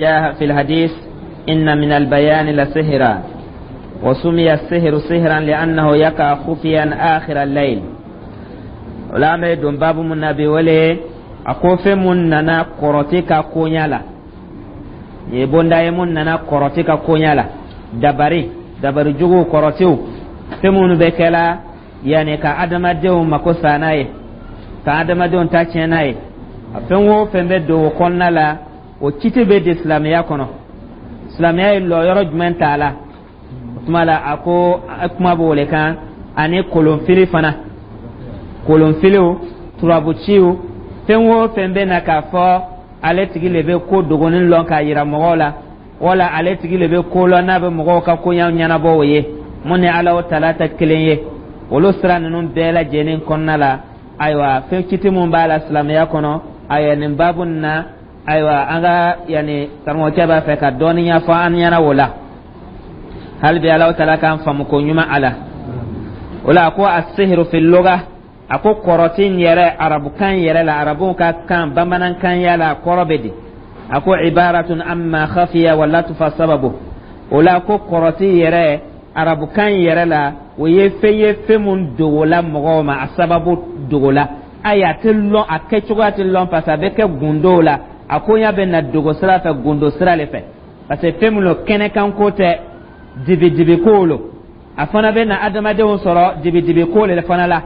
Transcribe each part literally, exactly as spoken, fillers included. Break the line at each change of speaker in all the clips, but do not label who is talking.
جاء في الحديث إن من البيان لسحرا، وسمي السحر سحرا لأنه يقع خفيا آخر الليل. O la an bɛ don baabu mun na bi, o le a ko fɛn mun nana kɔrɔti ka koɲa la. Nin ye bonda ye mun nana kɔrɔti ka koɲa la, dabari, dabari juguw, kɔrɔtiw, fɛn minnu bɛ kɛla yanni ka adamadenw mako sa n'a ye, ka adamadenw ta tiɲɛ n'a ye. A fɛn o fɛn bɛ don o kɔnɔna la, o kiti bɛ di silamɛya kɔnɔ, silamɛya ye lɔyɔrɔ jumɛn t'a la? O tuma la, a ko kuma b'o le kan, ani kolonfili fana, kolonfiliw, turabuciw, fɛn o fɛn bɛ na k'a fɔ ale tigi le bɛ ko dogonin lɔn k'a yira mɔgɔw la, wala ale tigi le bɛ ko lɔn n'a bɛ mɔgɔw ka koɲa ɲɛnabɔ, o ye mun ni Ala tala tɛ kelen ye. Olu sira ninnu bɛɛ lajɛlen kɔnɔna la, ayiwa, fɛn kiti mun b'a la silamɛya kɔnɔ? Ayiwa, nin baabu nin na, ayiwa, an ka yanni karamɔgɔkɛ b'a fɛ ka dɔɔnin ɲɛfɔ an ɲɛna o la. Hali bi Ala tala k'an faamu ko ɲuman a la. O la, a ko السحر في اللغة, a ko kɔrɔti yɛrɛ arabukan yɛrɛ la, arabuw ka kan bamanankan ya la, kɔrɔ bɛ di? A ko عبارة عما خفي ولطف سببه. O la, ko kɔrɔti yɛrɛ arabukan yɛrɛ la, o ye fɛn ye, fɛn mun dogola mɔgɔw ma, a sababu dogola. Ayi, a tɛ lɔn, a kɛcogoya tɛ lɔn, parce que a bɛ kɛ gundow la. A koɲa bɛ na dogo sira fɛ, gundo sira le fɛ, parce que fɛn min lo, kɛnɛkan ko tɛ, dibidibi ko lo. A fana bɛ na adamadenw sɔrɔ dibidibi ko le fana la,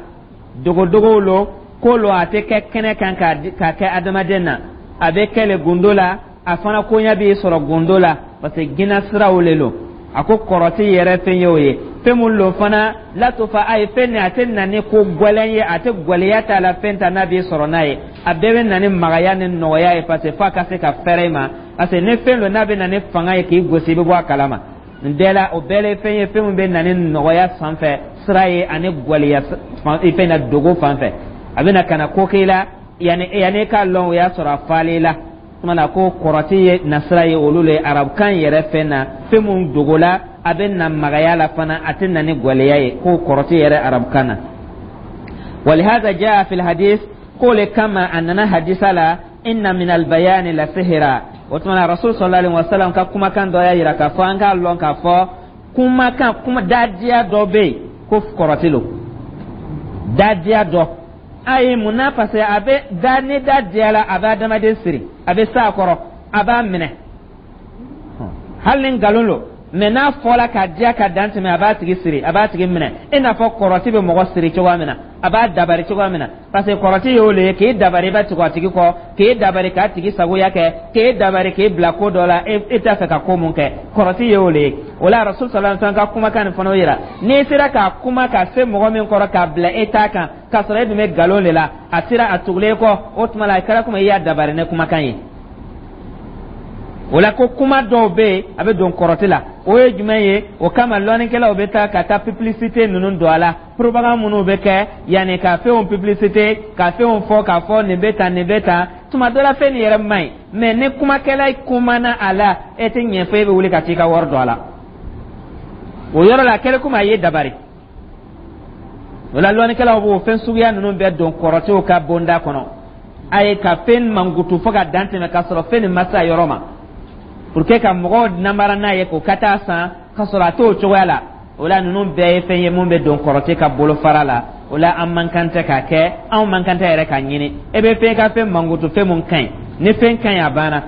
dogodogow lo, ko lo, a tɛ kɛ kɛnɛ kan k'a kɛ adamaden na, a bɛ kɛ le gundo la. A fana koɲa b'i sɔrɔ gundo la, parce que ginna siraw le lo. A ko kɔrɔti yɛrɛ fɛn ye o ye, fɛn mun lo fana latofa a ye fɛn nin, a tɛ na ni ko gwɛlɛn ye, a tɛ gwɛlɛya t'a la, fɛn ta n'a b'i sɔrɔ n'a ye, a bɛɛ bɛ na ni magaya ni nɔgɔya ye, parce que f'a ka se ka fɛrɛ i ma, parce que ni fɛn don n'a bɛ na ni fanga ye k'i gosi, i bɛ bɔ a kalama. Nin bɛɛ la, o bɛɛ la ye fɛn ye, fɛn min bɛ na ni nɔgɔya sanfɛ sira ye ani gwɛlɛya fɛn na dogo fan fɛ. A bɛ na ka na ko k'i la yanni yanni k'a lɔn, o y'a sɔrɔ a falen la. Tuma na, ko kɔrɔti ye nasira ye, olu le arabukan yɛrɛ fɛn na, fɛn mun dogola, a bɛ na magaya la fana, a tɛ na ni gwɛlɛya ye, ko kɔrɔti yɛrɛ arabukan na. ولهذا جاء في الحديث, k'o le kama a nana hadisa la, إن من البيان لسحرا. O tuma na, Rasul صلى الله عليه وسلم ka kumakan dɔ y'a yira k'a fɔ an k'a lɔn k'a fɔ kumakan kuma dadiya dɔ bɛ yen ko kɔrɔti lo, dadiya dɔ. Ayi, mun na? Parce que a bɛ da ni da diyala, a bɛ adamaden siri, a bɛ s'a kɔrɔ, a b'a minɛ, hali ni nkalon lo, mɛ n'a fɔla k'a diya ka dan tɛmɛ, a b'a tigi siri, a b'a tigi minɛ, i n'a fɔ kɔrɔti bɛ mɔgɔ siri cogoya min na, a b'a dabari cogoya min na, parce que kɔrɔti y'o le ye k'e dabari, i bɛ tugu a tigi kɔ, k'e dabari k'a tigi sagoya kɛ, k'e dabari k'e bila ko dɔ la e t'a fɛ ka ko mun kɛ. Kɔrɔti y'o le ye. O la, Rasul صلى الله عليه وسلم ka kumakan nin fana yira, n'i sera k'a kuma ka se mɔgɔ min kɔrɔ k'a bila e t'a kan, k'a sɔrɔ e dun bɛ nkalon de la, a sera a tugulen kɔ, o tuma la a kɛra komi i y'a dabari ni kumakan ye. O la, ko kuma dɔw bɛ yen, a bɛ don kɔrɔti la. O ye jumɛn ye? O kama lɔnnikɛlaw bɛ taa ka taa publicité ninnu don a la, propagande minnu bɛ kɛ yanni ka fɛnw publicité, ka fɛnw fɔ k'a fɔ nin bɛ tan, nin bɛ tan. Tuma dɔ la, fɛn nin yɛrɛ man ɲi, mɛ ni kumakɛla kumana a la, e tɛ ɲɛ fɔ, e bɛ wuli ka t'i ka wari don a la. O yɔrɔ la, a kɛlen komi a ye dabari. O la, lɔnnikɛlaw b'o fɛn suguya ninnu bɛɛ don kɔrɔtiw ka bonda kɔnɔ. A ye ka fɛn mankutu fo ka dan tɛmɛ, k'a sɔrɔ fɛn nin ma se a yɔrɔ ma, pour que ka mɔgɔw namara n'a ye k'o ka taa san, ka sɔrɔ a t'o cogoya la. O la, ninnu bɛɛ ye fɛn ye mun bɛ don kɔrɔti ka bolofara la. O la, an man kan tɛ k'a kɛ, anw man kan tɛ yɛrɛ k'a ɲini. E bɛ fɛn ka fɛn mankutu, fɛn mun ka ɲi, ni fɛn ka ɲi, a banna.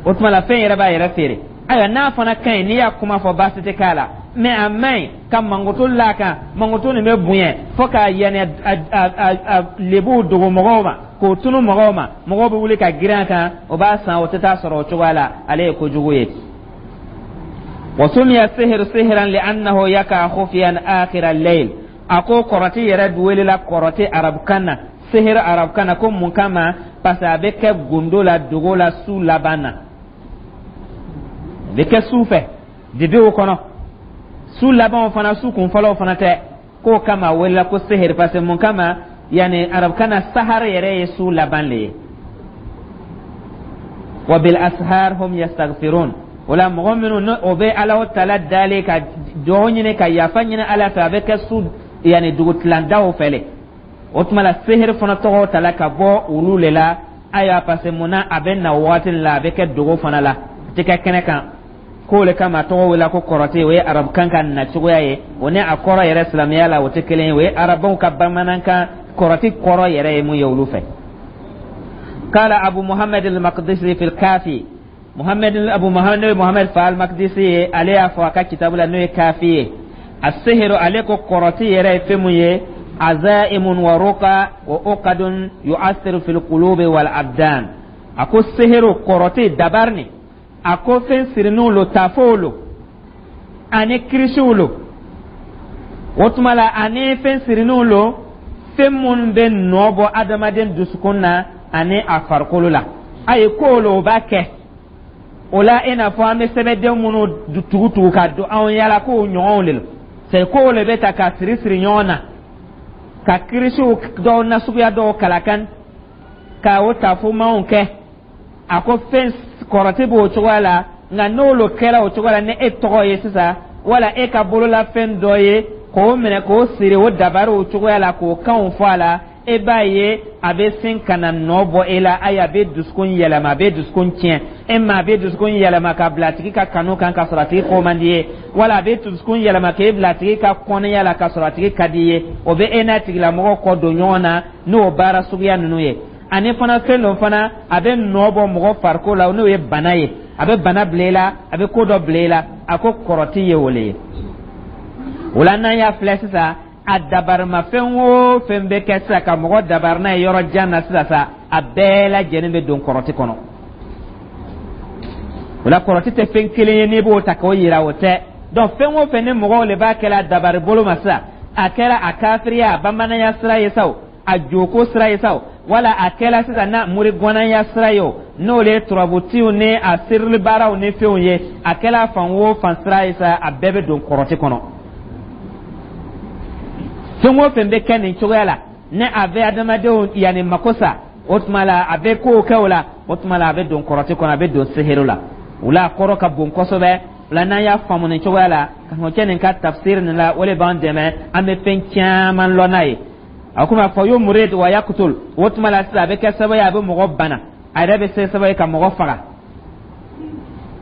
O tuma la, fɛn yɛrɛ b'a yɛrɛ feere. Ayiwa, n'a fana ka ɲi, n'i y'a kuma fɔ, baasi tɛ k'a la, mɛ a man ɲi ka mankutu l'a kan. Mankutu nin bɛ bonya fo k'a yanni a a a lebuw dogo mɔgɔw ma, k'o tunu mɔgɔw ma, mɔgɔw bɛ wuli ka girin a kan, o b'a san, o tɛ taa sɔrɔ o cogoya la, ale ye kojugu ye. وسمي السحر سحرا لأنه يقع خفيا آخر الليل. A ko kɔrɔti yɛrɛ welela kɔrɔti arabukan na, sihir arabukan na, ko mun kama? Parce que a bɛ kɛ gundo la, dogo la, su laban na, a bɛ kɛ su fɛ, dibiw kɔnɔ, su labanw fana, su kunfɔlɔw fana tɛ. K'o kama a welela ko sihir, parce que mun kama? Yani arabukan na, sahar yɛrɛ ye su laban le ye. وبالأسحار هم يستغفرون. O la, mɔgɔ minnu ni o bɛ Ala tala dalen ka dugawu ɲini ka yafa ɲini Ala fɛ, a bɛ kɛ su yanni dugutilandaw fɛ le. O tuma la, sihiri fana tɔgɔ tala ka bɔ olu le la. Ayiwa, parce que mun na? A bɛ na waati la, a bɛ kɛ dogo fana la. Tɛ kɛ kɛnɛ kan. K'o le kama tɔgɔ wele ko kɔrɔti. O ye arabukan ka nacogoya ye, o ni a kɔrɔ yɛrɛ silamɛya la, o tɛ kelen ye. O ye arabaw ka bamanankan. Kɔrɔti kɔrɔ yɛrɛ ye mun ye olu fɛ? قال أبو محمد المقدسي في الكافي، محمد أبو محمد محمد فال المقدسي ale y'a fɔ a ka kitabu la, n'o ye Kafi ye: السحر, ale ko kɔrɔti yɛrɛ ye fɛn mun ye? عزائم ورقى وعقد يؤثر في القلوب والأبدان. A ko sehiru, kɔrɔti, dabari ni, a ko fɛn sirininw lo, tafow lo, ani kirisiw lo. O tuma la, ani fɛn sirininw lo, fɛn minnu bɛ nɔ bɔ adamaden dusukun na ani a farikolo la. A ye ko lo, o b'a kɛ o la, i n'a fɔ an bɛ sɛbɛnden minnu tugu tugu ka don anw yala k'o ɲɔgɔnw de lo. C'est kow le bɛ ta ka siri siri ɲɔgɔn na, ka kirisiw dɔw nasuguya dɔw kalakan, ka o tafomanw kɛ. A ko fɛn kɔrɔti b'o cogoya la. Nka n'olu kɛra o cogoya la, ni e tɔgɔ ye sisan, wala e ka bololafɛn dɔ ye, k'o minɛ k'o siri o dabari o cogoya la, k'o kanw fɔ a la, e b'a ye a bɛ sin ka na nɔ bɔ e la. Ayi, a bɛ dusukun yɛlɛma, a bɛ dusukun tiɲɛ e ma. A bɛ dusukun yɛlɛma ka bila a tigi ka kanu kan, ka sɔrɔ a tigi ko man di ye, wala a bɛ dusukun yɛlɛma k'e bila a tigi ka kɔnɔya la, ka sɔrɔ a tigi ka di ye. O bɛ e n'a tigilamɔgɔ kɔ don ɲɔgɔn na n'o baara suguya ninnu ye. Ani fana, fɛn dɔ fana, a bɛ nɔ bɔ mɔgɔ farikolo la, n'o ye bana ye. A bɛ bana bila i la, a bɛ ko dɔ bila i la. A ko kɔrɔti ye o le ye. O la, n'an y'a filɛ sisan, a dabarimafɛn o fɛn bɛ kɛ sisan ka mɔgɔ dabari n'a ye yɔrɔ jan na sisan sa, a bɛɛ lajɛlen bɛ don kɔrɔti kɔnɔ. O la, kɔrɔti tɛ fɛn kelen ye n'i b'o ta k'o yira, o tɛ. Donc fɛn o fɛn ni mɔgɔw de b'a kɛla dabari bolo ma sisan, a kɛra a kafiriya, a bamananya sira ye sa o, a joko sira ye sa o, wala a kɛla sisan na murigɔnaya sira ye o, n'o le ye turabutiw ni a sirili baaraw ni fɛnw ye, a kɛla fan o fan sira ye sa, a bɛɛ bɛ don kɔrɔti kɔnɔ. Fɛn o fɛn bɛ kɛ nin cogoya la, ni a bɛ adamadenw yanni mako sa, o tuma la a bɛ kow kɛ o la, o tuma la a bɛ don kɔrɔti kɔnɔ, a bɛ don seheru la. O la, a kɔrɔ ka bon kosɛbɛ. O la, n'an y'a faamu nin cogoya la, ka fɔ nin ka tafsir nin la, o de b'an dɛmɛ, an bɛ fɛn caman lɔn n'a ye. A komi a fɔ يمرض ويقتل. O tuma la sisan, a bɛ kɛ sababu ye, a bɛ mɔgɔ bana, a yɛrɛ bɛ se sababu ye ka mɔgɔ faga.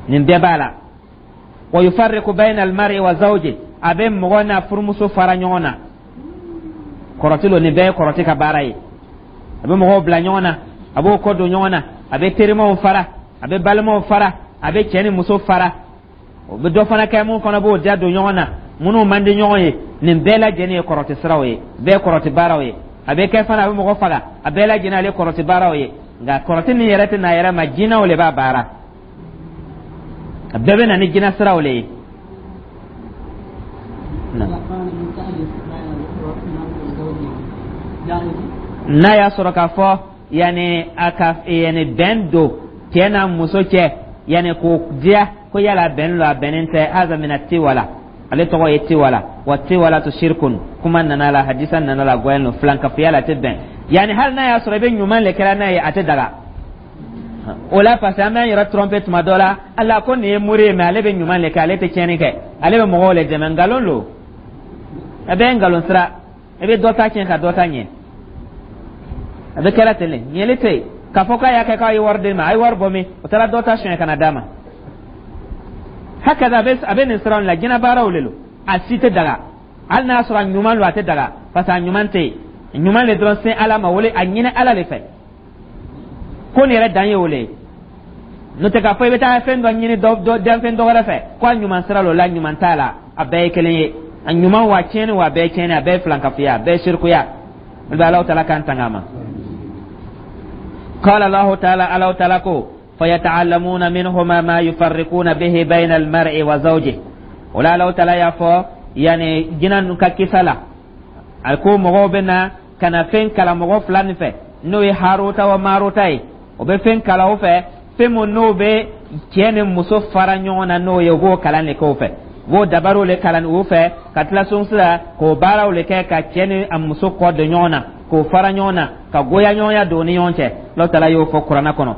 Nin bɛɛ b'a la. ويفرق بين المرء وزوجه, a bɛ mɔgɔ n'a furumuso fara ɲɔgɔn na. Kɔrɔti lo, nin bɛɛ ye kɔrɔti ka baara ye. A bɛ mɔgɔw bila ɲɔgɔn na, a b'o kɔ don ɲɔgɔn na, a bɛ terimaw fara, a bɛ balimaw fara, a bɛ cɛ ni muso fara. O bɛ dɔ fana kɛ mun fana b'o ja don ɲɔgɔn na, minnu man di ɲɔgɔn ye. Nin bɛɛ lajɛlen ye kɔrɔti siraw ye, bɛɛ kɔrɔti baaraw ye. A bɛ kɛ fana, a bɛ mɔgɔ faga. A bɛɛ lajɛlen ale kɔrɔti baaraw ye. Nka kɔrɔti min yɛrɛ tɛ na yɛrɛ ma, jinɛw de b'a baara. A bɛɛ bɛ na ni jinɛ siraw le ye.
إذا كان من تألف بين المرء وزوجه جائز؟
N'a y'a sɔrɔ k'a fɔ yanni a ka yanni bɛn don cɛ n'a muso cɛ, yanni k'o diya ko yala bɛn lo, a bɛnnen tɛ. هذا من التولة, ale tɔgɔ ye tiwala. والتولة شرك. Kuma nana la, hadisa nana la, gɔyɛn lo filankafoya la, a tɛ bɛn. Yanni hali n'a y'a sɔrɔ i bɛ ɲuman le kɛra n'a ye, a tɛ daga o la, parce que an b'an yɛrɛ tromper tuma dɔ la. Ala ko nin ye mori ye, mais ale bɛ ɲuman le kɛ, ale tɛ tiɲɛni kɛ, ale bɛ mɔgɔw le dɛmɛ. Nkalon lo, a bɛ nkalon sira. I bɛ dɔ ta tiɲɛ ka dɔ ta ɲɛ. A bɛ kɛra ten de, ɲɛli tɛ yen k'a fɔ k'a y'a kɛ k'a ye wari d'e ma. A ye wari bɔ min, o taara dɔ ta suɲɛ ka na d'a ma. Hakaza, a bɛ a bɛ nin siraw la. Jinɛ baaraw de lo, a si tɛ daga. Hali n'a sɔrɔ a ɲuman lo, a tɛ daga, parce que a ɲuman tɛ yen. Ɲuman le dɔrɔn, se Ala ma wele, a ɲini Ala de fɛ ko nin yɛrɛ dan ye o le ye. N'o tɛ, k'a fɔ i bɛ taa fɛn dɔ ɲini dɔ dɔ danfɛn dɔ wɛrɛ fɛ ko a ɲuman sira lo la, ɲuman t'a la. A bɛɛ ye kelen ye, a ɲuman wa tiɲɛni wa, a bɛɛ ye tiɲɛni, a bɛɛ ye filankafoya, a bɛɛ ye sirikuya. O bɛ Alahu Taala k'an tanga a ma. قال الله تعالى, الله تعالى ko فيتعلمون منهما ما يفرقون به بين المرء وزوجه. Wala Alahu Taala y'a fɔ yani jinɛ ninnu ka kisa la, a ko mɔgɔw bɛ na ka na fɛn kalan mɔgɔ fila nin fɛ, n'o ye Haruta wa Maruta ye. O bɛ fɛn kalan o fɛ, fɛn mun n'o bɛ cɛ ni muso fara ɲɔgɔn na, n'o ye, u b'o kalan de k'o fɛ, u b'o dabariw le kalan u fɛ, ka tila sun sisan k'o baaraw le kɛ ka cɛ ni a muso kɔ don ɲɔgɔn na, k'o fara ɲɔgɔn na, ka goya ɲɔgɔnya don u ni ɲɔgɔn cɛ. Alahu Taala y'o fɔ Kuranɛ kɔnɔ.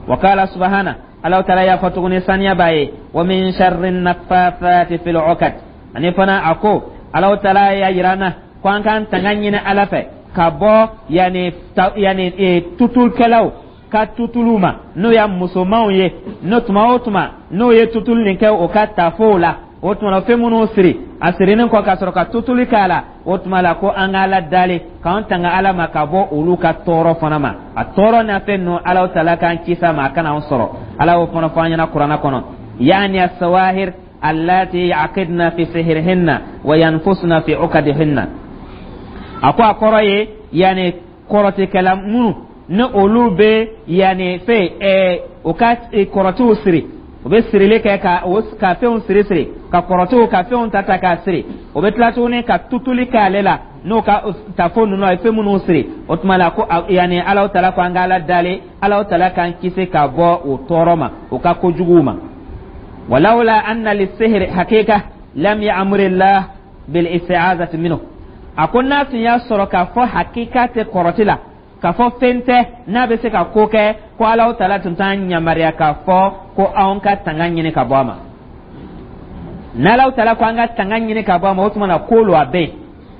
وقال سبحانه, Alahu Taala y'a fɔ tuguni, saniya b'a ye: ومن شر النفاثات في العقد. Ani fana, a ko Alahu Taala y'a yira an na ko an k'an tanga ɲini Ala fɛ ka bɔ yanni ta yanni e, tutulikɛlaw ka tutuluw ma, n'o y'a musomanw ye, n'o tuma o tuma n'o ye tutulu nin kɛ o ka tafow la, o tuma la fɛn minnu siri a sirinin kɔ ka sɔrɔ ka tutuli k'a la, o tuma la ko an ka Ala dali k'an tanga Ala ma ka bɔ olu ka tɔɔrɔ fana ma. A tɔɔrɔ n'a fɛn ninnu, Ala tala k'an kisi a ma, a kana an sɔrɔ. Ala y'o fana fɔ an ɲɛna Kuranɛ kɔnɔ: yaani asawahir allati yaqidna fi sihrihinna wa yanfusna fi uqadihinna. A ko a kɔrɔ ye yanni kɔrɔtikɛla minnu ni olu bɛ yanni fɛn ɛɛ u ka kɔrɔtiw siri, u bɛ sirili kɛ ka o ka fɛnw siri siri, ka kɔrɔtiw ka fɛnw ta ta k'a siri, o bɛ tila tuguni ka tutuli k'ale la n'o ka tafo ninnu, a ye fɛn minnu siri. O tuma la ko yanni Alahu tala ko an ka Ala dali, Alahu tala k'an kisi ka bɔ o tɔɔrɔ ma, o ka kojuguw ma. Walawla anna lisihri hakika lam ya'murillah bil isti'azati minhu. A ko n'a tun y'a sɔrɔ k'a fɔ hakika tɛ kɔrɔti la, k'a fɔ fɛn tɛ n'a bɛ se ka ko kɛ, ko Alahu tala tun t'an yamaruya k'a fɔ ko anw ka tanga ɲini ka bɔ a ma. N'Alahu tala ko an ka tanga ɲini ka bɔ a ma, o tuma na ko lo a bɛ yen,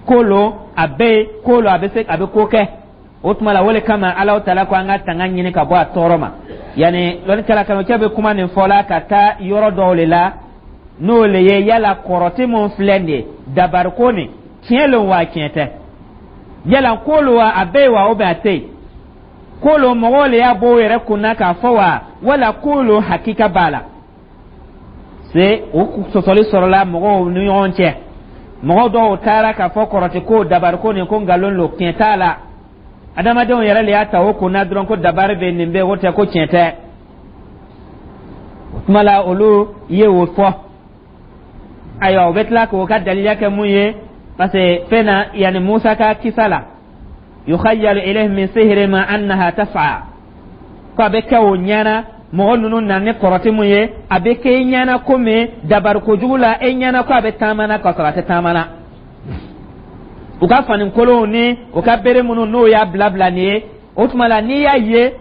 ko lo a bɛ yen, ko lo a bɛ se a bɛ ko kɛ. O tuma la o le kama Alahu tala ko an ka tanga ɲini ka bɔ a tɔɔrɔ ma. Yanni lɔnnikɛla kanukɛ bɛ kuma nin fɔ la ka taa yɔrɔ dɔw de la, n'o le ye yala kɔrɔti mun filɛ nin ye, dabariko nin, tiɲɛ lo wa tiɲɛ tɛ? Yala ko lo wa a bɛ yen wa, ou bien a tɛ yen? Ko lo mɔgɔw le y'a bɔ o yɛrɛ kunna k'a fɔ wa, wala ko lo hakika b'a la? Se o sɔsɔli sɔrɔla mɔgɔw ni ɲɔgɔn cɛ. Mɔgɔ dɔw taara k'a fɔ kɔrɔti ko, dabariko nin, ko nkalon lo, tiɲɛ t'a la, adamadenw yɛrɛ le y'a ta o kunna dɔrɔn ko dabari bɛ nin bɛ, o tɛ ko tiɲɛ tɛ. O tuma la olu ye o fɔ. Ayiwa, o bɛ tila k'o ka daliya kɛ mun ye? Parce que fɛn na yanni Musa ka kisa la, yukhayyalu ilayhi min sihrihim annaha tas'a, ko a bɛ kɛ o ɲɛna, mɔgɔ ninnu na ni kɔrɔti mun ye, a bɛ kɛ i ɲɛna komi dabari kojugu la, e ɲɛna ko a bɛ taama na, k'a sɔrɔ a tɛ taama na. U ka fani kolonw ni u ka bere minnu n'o y'a bila bila nin ye, o tuma la n'i y'a ye,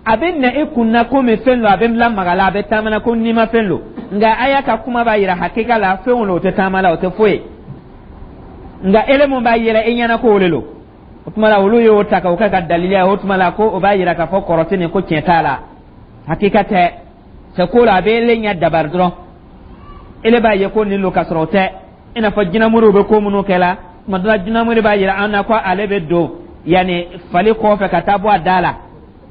a bɛ na i kun na komi fɛn don a bɛ lamaga la, a bɛ taama na ko n'i ma fɛn don. Nka a y'a ka kuma b'a yira hakika la fɛnw lo, o tɛ taama la, o tɛ foyi ye. Nka ele mun b'a yɛlɛ i ɲɛna ko o de lo. O tuma la olu y'o ta k'o kɛ ka daliliya ye. O tuma la ko o b'a yira k'a fɔ kɔrɔti nin ko tiɲɛ t'a la, hakika tɛ. C'est ko la a bɛ ele ɲɛ dabari dɔrɔn, ele b'a ye ko nin lo, k'a sɔrɔ o tɛ. I n'a fɔ jinɛmoriw bɛ ko minnu kɛ la, tuma dɔ la jinɛmori b'a yira an na ko ale bɛ don yanni fali kɔfɛ ka taa bɔ a da la.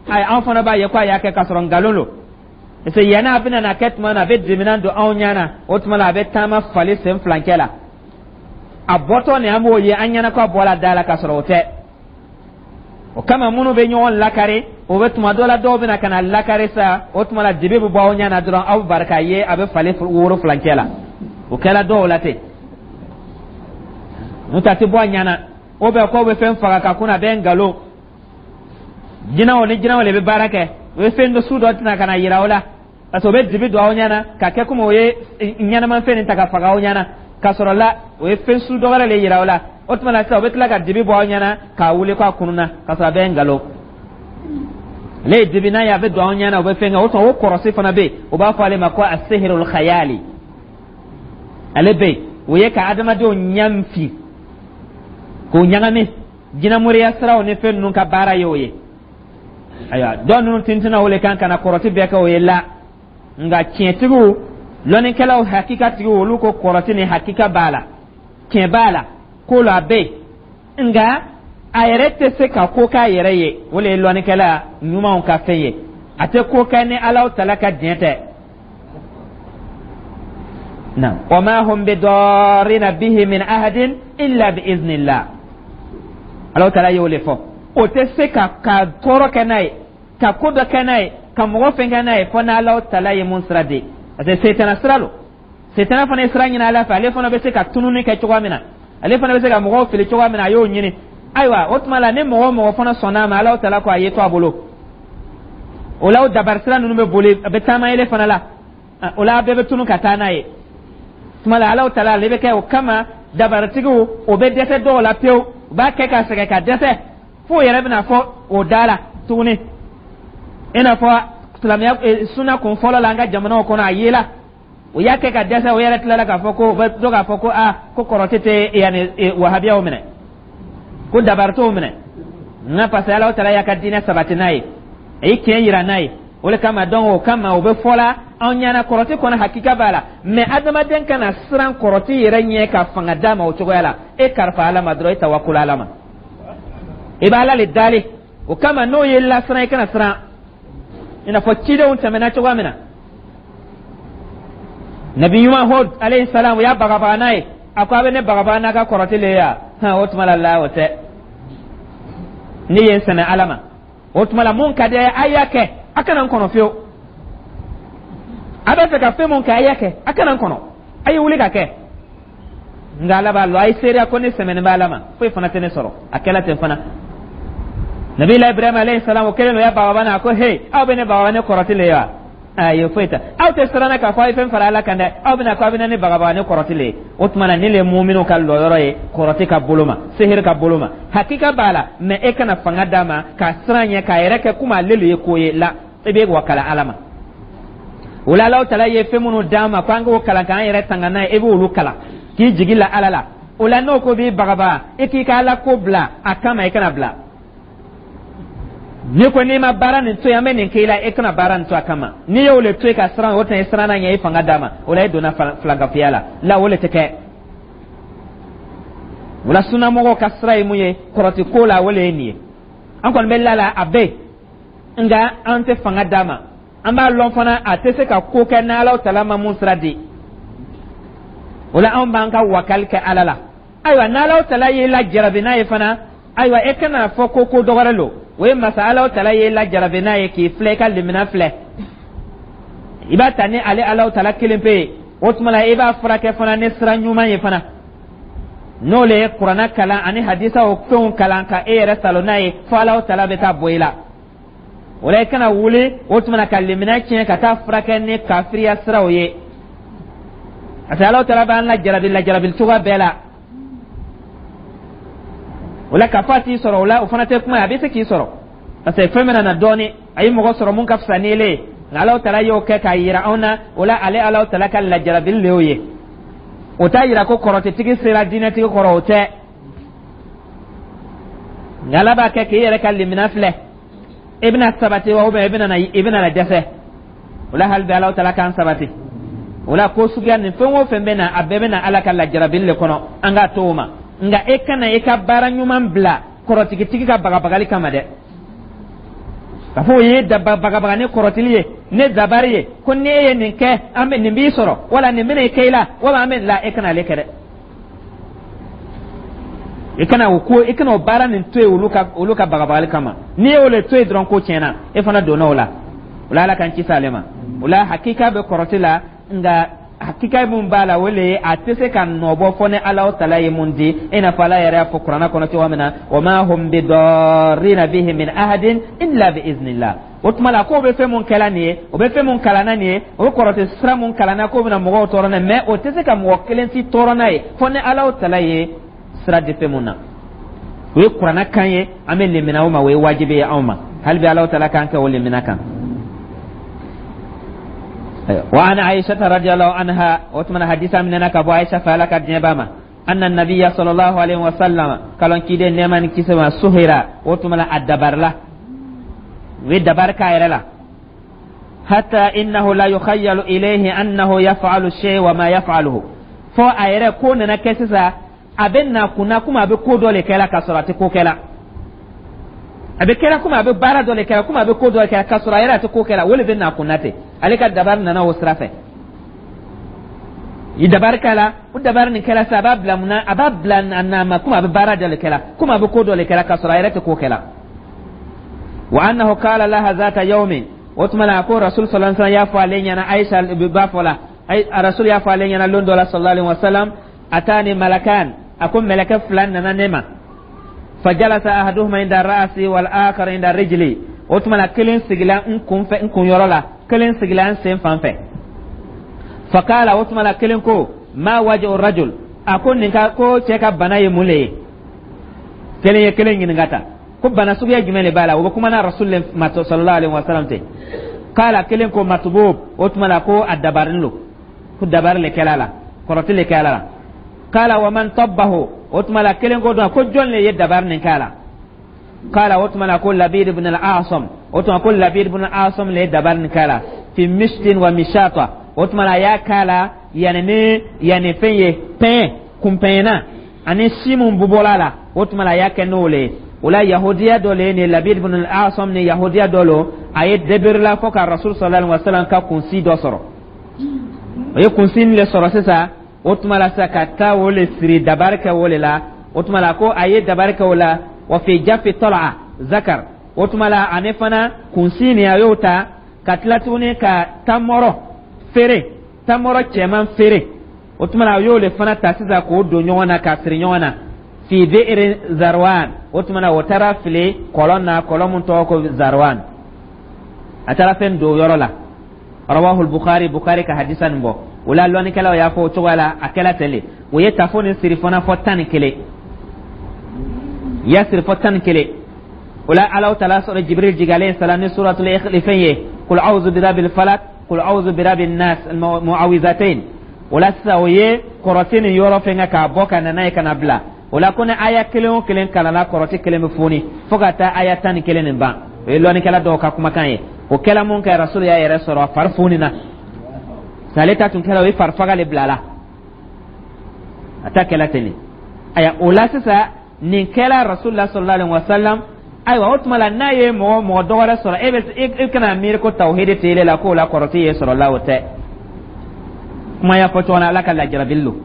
Ayi, an fana b'a ye ko a y'a kɛ, k'a sɔrɔ nkalon lo. Parce que yanni a bɛna na kɛ tuma na, a bɛ diminan don anw ɲɛ na. O tuma la a bɛ taama fali sen filancɛ la, a bɔtɔ nin, an b'o ye an ɲɛna ko a bɔra da la, k'a sɔrɔ o tɛ. O kama minnu bɛ ɲɔgɔn lakari, o bɛ tuma dɔ la dɔw bɛ na ka na lakari sa. O tuma la dibi bɛ bɔ aw ɲɛ na dɔrɔn, aw barika ye a bɛ fali woro filancɛ la. O kɛra dɔw la ten, n'o tɛ a tɛ bɔ a ɲɛ na. O bɛ k'aw bɛ fɛn faga ka kun, a bɛ nkalon. Jinɛw ni jinɛw de bɛ baara kɛ, o ye fɛn dɔ su dɔ tɛna ka na yira aw la, parce que o bɛ dibi don aw ɲɛ na ka kɛ komi o ye ɲɛnamafɛn nin ta ka faga aw ɲɛ na, k'a sɔrɔ la o ye fɛn su dɔ wɛrɛ de yira aw la. O tuma la sisan o bɛ tila ka dibi bɔ aw ɲɛ na k'a wuli k'a kununa, k'a sɔrɔ a bɛ nkalon. Ale ye dibi n'a ye, a bɛ don aw ɲɛ na, o bɛ fɛn kɛ. O tuma o kɔrɔsi fana bɛ yen, o b'a fɔ ale ma ko asehirul khayali. Ale bɛ yen, o ye ka adamadenw ɲɛ fin k'o ɲagami, jinɛmoriya siraw ni fɛn ninnu ka baara ye o ye. Ayiwa, dɔw ninnu tintinna o le kan ka na kɔrɔti bɛɛ kɛ o ye la. Nka tiɲɛtigiw, lɔnnikɛlaw, hakikatigiw, olu ko kɔrɔti ni hakika b'a la, tiɲɛ b'a la, ko la a bɛ yen, nka a yɛrɛ tɛ se ka ko k'a yɛrɛ ye. O le ye lɔnnikɛla ɲumanw ka fɛn ye, a tɛ ko kɛ ni Alahu tala ka diɲɛ tɛ na. Wa ma hum bidarrina bihi min ahadin illa bi iznillah. Alahu tala y'o le fɔ, o tɛ se ka ka tɔɔrɔ kɛ n'a ye, ka ko dɔ kɛ n'a ye, ka mɔgɔ fɛn kɛ n'a ye, fo n'Alahu tala ye mun sira di. Parce que setana sira lo, setana fana ye sira ɲini Ala fɛ, ale fana bɛ se ka tununi kɛ cogoya min na, ale fana bɛ se ka mɔgɔw fili cogoya min na, a y'o ɲini. Ayiwa, o tuma la ni mɔgɔ o mɔgɔ fana sɔnna a ma, Alahu tala ko a ye to a bolo. O la o dabari sira ninnu bɛ boli, a bɛ taama ele fana la, o la a bɛɛ bɛ tunu ka taa n'a ye. Tuma la Alahu tala ale bɛ kɛ o kama dabaritigiw, o bɛ dɛsɛ dɔw la pewu, u b'a kɛ ka sɛgɛn ka dɛsɛ f'o yɛrɛ bɛna fɔ o da la tuguni. I n'a fɔ silamɛya suna kun fɔlɔ la an ka jamanaw kɔnɔ, a yela o y'a kɛ ka dɛsɛ, o yɛrɛ tilala k'a fɔ ko u bɛ to k'a fɔ ko aa, ko kɔrɔtɛ tɛ yanni wahabiyaw minɛ, ko dabari t'o minɛ. Nka parce que Alahu tala y'a ka diinɛ sabati n'a ye. A ye tiɲɛ yira n'a ye. O le kama, donc, o kama o bɛ fɔ la anw ɲɛna, kɔrɔti kɔnɔ hakika b'a la, mais adamaden kana siran kɔrɔti yɛrɛ ɲɛ ka fanga d'a ma o cogoya la. E karifa Ala ma dɔrɔn, e tawakulu Ala ma, i b'a Ala le dali. O kama n'o ye lasiran, i kana siran, i n'a fɔ cidenw tɛmɛna cogoya min na. Nabi ɲuman Hud alayhi salam, o y'a bagabaga n'a ye. A ko a bɛ ne bagabaga n'a ka kɔrɔti le ye wa? Hɔn, o tuma la la o tɛ ne ye n sɛmɛ Ala ma. O tuma la, mun ka di a ye, a y'a kɛ, a kana n kɔnɔ fiyewu. A bɛ fɛ ka fɛn mun kɛ, a y'a kɛ, a kana n kɔnɔ, a ye wuli ka kɛ. Nka Ala b'a lɔn, a ye seereya ko ne sɛmɛnen bɛ Ala ma, foyi fana tɛ ne sɔrɔ. A kɛla ten fana. Nabila Ibrahim alayhi salam, o kɛlen o y'a bagabaga n'a ko: "He, aw bɛ ne bagabaga ne kɔrɔti le ye wa? Ayi, foyi tɛ. Aw tɛ siran k'a fɔ aw ye fɛn fara Ala kan dɛ, aw bɛna ko aw bɛna ne bagabaga ne kɔrɔti le ye." O tuma na, ne le muminu ka lɔyɔrɔ ye kɔrɔti ka bolo ma, sehiri ka bolo ma. Hakika b'a la, mais e kana fanga d'a ma k'a siran ɲɛ k'a yɛrɛ kɛ komi ale le ye ko ye la. E bɛ wakala Ala ma. O la, Alahu Tala ye fɛn minnu d'an ma ko an k'o kalan k'an yɛrɛ tanga n'a ye, e b'olu kalan k'i jigi la Ala la. O la, n'o ko b'i bagabaga, e k'i ka Ala ko bila a kama, i kana bila. N'i ko n'i ma baara nin to yen, an bɛ nin k'i la, e kana baara nin to a kama. N'i y'o le to yen ka siran, o tɛ i siranna ɲɛ, i fanga d'a ma. O la, e donna filankafoya la la, o le tɛ kɛ. O la, sunnamɔgɔw ka sira ye mun ye kɔrɔti ko la? O le ye nin ye. An kɔni bɛ la la, a bɛ yen, nka an tɛ fanga d'a ma. An b'a lɔn fana, a tɛ se ka ko kɛ n'Ala Tala ma mun sira di. O la, anw b'an ka wakali kɛ Ala la. Ayiwa, n'Ala Tala y'i lajarabi n'a ye fana, ayiwa, e kana fɔ ko ko dɔgɔrɛ lo. O ye masa Ala Tala y'i lajarabi n'a ye k'i filɛ, i ka limina filɛ, i b'a ta ni ale Ala Tala kelen pe ye. O tuma la, i b'a furakɛ fana ni sira ɲuman ye fana, n'o le ye kuranna kalan ani hadisaw fɛnw kalan ka e yɛrɛ salo n'a ye, fo Ala Tala bɛ taa bɔ i la. O la, i kana wuli o tuma na ka limina tiɲɛ ka taa furakɛ ni kafiriya siraw ye, parce que Ala Tala b'an lajarabi lajarabi cogoya bɛɛ la. O la, k'a fɔ a t'i sɔrɔ, o la, o fana tɛ kuma ye. A bɛ se k'i sɔrɔ, parce que fɛn bɛna na dɔɔni, a ye mɔgɔ sɔrɔ mun ka fisa ni ele ye, nka Ala Tala y'o kɛ k'a yira anw na. O la, ale Ala Tala ka lajarabili le y'o ye. O t'a yira ko kɔrɔtɛtigi sera diinɛtigi kɔrɔ, o tɛ. Nka Ala b'a kɛ k'i yɛrɛ ka limina filɛ, i bɛna sabati wa, i bɛna i bɛna na dɛsɛ. O la, hali bi Ala Tala k'an sabati. O la, ko suguya nin, fɛn o fɛn bɛ na, a bɛɛ bɛ na Ala ka lajarabili le kɔnɔ, an k'a to o ma. Nka e kana i ka baara ɲuman bila kɔrɔtigitigi ka bagabagali kama dɛ, k'a fɔ o ye bagabaga ni kɔrɔtili ye, ne dabari ye ko ni e ye nin kɛ, an bɛ nin b'i sɔrɔ, wala nin bɛna i kɛ i la, wala an bɛ la. E kana ale kɛ dɛ. I kana o ko, i kana o baara nin to yen olu ka olu ka bagabagali kama. N'i y'o le to yen dɔrɔn, ko tiɲɛna, e fana donna o la. O la, Ala k'an kisi ale ma. O la, hakika bɛ kɔrɔti la, nka hakika mun b'a la, o le ye a tɛ se ka nɔbɔ fɔ ni Ala Tala ye mun di, i n'a fɔ Ala yɛrɛ y'a fɔ kuranɛ kɔnɔ cogo min na: "Wa ma hum bidarrina bihi min ahadin illa bi iznillah." O tuma la, k'o bɛ fɛn mun kɛla nin ye, o bɛ fɛn mun kalanna nin ye, o bɛ kɔrɔtɛ sira mun kalanna k'o bɛna mɔgɔw tɔɔrɔ n'a ye, mais o tɛ se ka mɔgɔ kelen si tɔɔrɔ n'a ye fɔ ni Ala Tala ye sira di fɛn mun na. O ye kuranɛ kan ye, an bɛ lemina o ma, o ye wajibi ye anw ma. Hali bi Ala Tala k'an kɛ o lemina kan. وعن عائشة رضي الله عنها، وتمنى حديثا من كابو عائشة فالك جنباما، أن النبي صلى الله عليه وسلم قال كيد نيمان كيسما سحر، وتمنى الدبر له ودبر كايرلا، حتى إنه لا يخيل إليه أنه يفعل الشيء وما يفعله. Fo a yɛrɛ ko nana kɛ sisan, a bɛ na kunna komi a bɛ ko dɔ le kɛla k'a sɔrɔ a tɛ ko kɛla. A bɛ kɛra komi a bɛ baara dɔ le kɛra, komi a bɛ ko dɔ kɛra k'a sɔrɔ a yɛrɛ a tɛ ko kɛla. O le bɛ na kunna ten. Ale ka dabari nana o sira fɛ. I dabari kɛla, o dabari nin kɛla sisan, a b'a bila mun na? A b'a bila a na ma komi a bɛ baara dɔ le kɛla, komi a bɛ ko dɔ le kɛla k'a sɔrɔ a yɛrɛ tɛ ko kɛla. Wa annahu qala laha zata yawmin, o tuma na, a ko Rasul sallallahu alaihi wasallam y'a fɔ ale ɲɛna, Aisha b'a fɔ la, Rasul y'a fɔ ale ɲɛna lon dɔ la, sallallahu alaihi wasallam: "Atani malakan", a ko mɛlɛkɛ fila nana ne ma. "Fajalasa ahaduhuma inda ra'si wal akhar inda rijli". O tuma la, kelen sigila n kun fɛ, n kun yɔrɔ la, kelen sigila n sen fan fɛ. Fakala, o tuma la, kelen ko: "Ma wajhu rajul?" A ko nin ka ko cɛ ka bana ye mun le ye? Kelen ye kelen ɲininka ta ko bana suguya jumɛn de b'a la? O bɛ kuma na Rasul ma sallallahu alaihi wasallam ten. Kala, kelen ko: "Matubub". O tuma la, ko a dabarin lo, ko dabari le kɛla la, kɔrɔti le kɛla la. Kala: "Wa man tabbahu?" O tuma la, kelen ko dɔn ko jɔn le ye dabari nin k'a la? Qala, o tuma la ko Labid ibn al-Asam, o tuma ko Labid ibn al-Asam le dabari nin k'a la, fi mishtin wa mishata. O tuma la a y'a k'a la yani ni yani fɛn ye, pɛn kunpɛnna ani si mun bubɔla la, o tuma la a y'a kɛ n'o le ye. O la yahudiya dɔ le ye nin Labid ibn al-Asam ni yahudiya dɔ lo. A ye debere fɔ ka Rasul sallallahu alaihi wasallam ka kunsi dɔ sɔrɔ. O ye kunsi nin le sɔrɔ sisan. O tuma la sisan ka taa o le siri, dabari kɛ o le la. O tuma la ko a ye dabari kɛ o la, wa fi jafi tal'a zakar. O tuma la ani fana kunsi nin, a y'o ta ka tila tuguni ka tamɔrɔ feere, tamɔrɔ cɛman feere. O tuma la a y'o le fana ta sisan k'o don ɲɔgɔn na, k'a siri ɲɔgɔn na, fi bi'ri Zarwan. O tuma na o taara fili kɔlɔn na, kɔlɔn mun tɔgɔ ko Zarwan. A taara fɛn don yɔrɔ la. Rawahu Bukhari, Bukhari ka hadisa nin bɔ. O la lɔnnikɛlaw y'a fɔ o cogoya la, a kɛla ten de. O ye tafo nin siri fana fɔ tan ni kelen, ya siri fɔ tan ni kelen. O la Alahu Taala sɔrɔ Jibril jigalen salam ni suratul fɛn ye, qul a'udhu birabbil falaq, qul a'udhu birabbin nas, mu'awizatain. O la sisan o ye kɔrɔti nin yɔrɔ fɛn kɛ k'a bɔ ka na n'a ye ka na bila. O la ko ni aya kelen o kelen kalanna, kɔrɔti kelen bɛ foni fo ka taa aya tan ni kelen nin ban. O ye lɔnnikɛla dɔw ka kumakan ye. O kɛla mun kɛ, Rasul y'a yɛrɛ sɔrɔ a fari foni na. Ale ta tun kɛra o ye farifaga le bila la, a ta kɛla ten de. Ayiwa, o la sisan nin kɛla Rasulullah sallallahu alaihi wasallam. Ayiwa, o tuma la n'a ye mɔgɔ mɔgɔ dɔ wɛrɛ sɔrɔ, e bɛ e kana miiri ko tawhidi tɛ ele la, k'o la kɔrɔti ye sɔrɔ la. O tɛ kuma y'a fɔ cogo na, Ala ka lajarabili lo.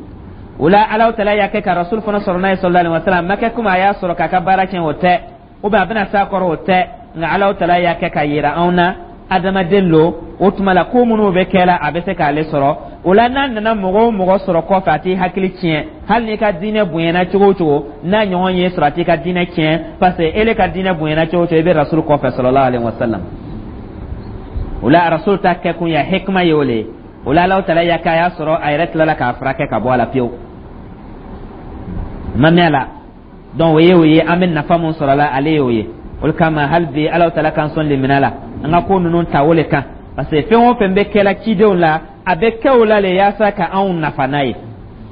O la Alahu Taala y'a kɛ ka Rasul fana sɔrɔ n'a ye sallallahu alaihi wasallam. Ma kɛ komi a y'a sɔrɔ k'a ka baara tiɲɛ, o tɛ, ou bien a bɛna s'a kɔrɔ, o tɛ. Nka Alahu Taala y'a kɛ ka yira anw na adamaden lo. O tuma la ko minnu bɛ kɛ la, a bɛ se k'ale sɔrɔ. O la n'a nana mɔgɔ o mɔgɔ sɔrɔ kɔfɛ, a t'i hakili tiɲɛ. Hali n'i ka diinɛ bonyana cogo o cogo, n'a ɲɔgɔn ye sɔrɔ, a t'i ka diinɛ tiɲɛ, parce que ele ka diinɛ bonyana cogo o cogo, i bɛ Rasul kɔfɛ sallallahu alaihi wasallam. O la Rasul ta kɛkun ya hikma ye o le ye. O la Alahu Taala y'a kɛ a y'a sɔrɔ, a yɛrɛ tilala k'a furakɛ ka bɔ a la pewu, ma mɛn a la. Donc o ye o ye, an bɛ nafa mun sɔrɔ a la, ale ye o ye. O de kama hali bi Alahu Taala k'an sɔn limina la, an ka ko ninnu ta o le kan, parce que fɛn o fɛn bɛ kɛla cidenw la, a bɛ kɛ o la le yaasa ka anw nafa n'a ye.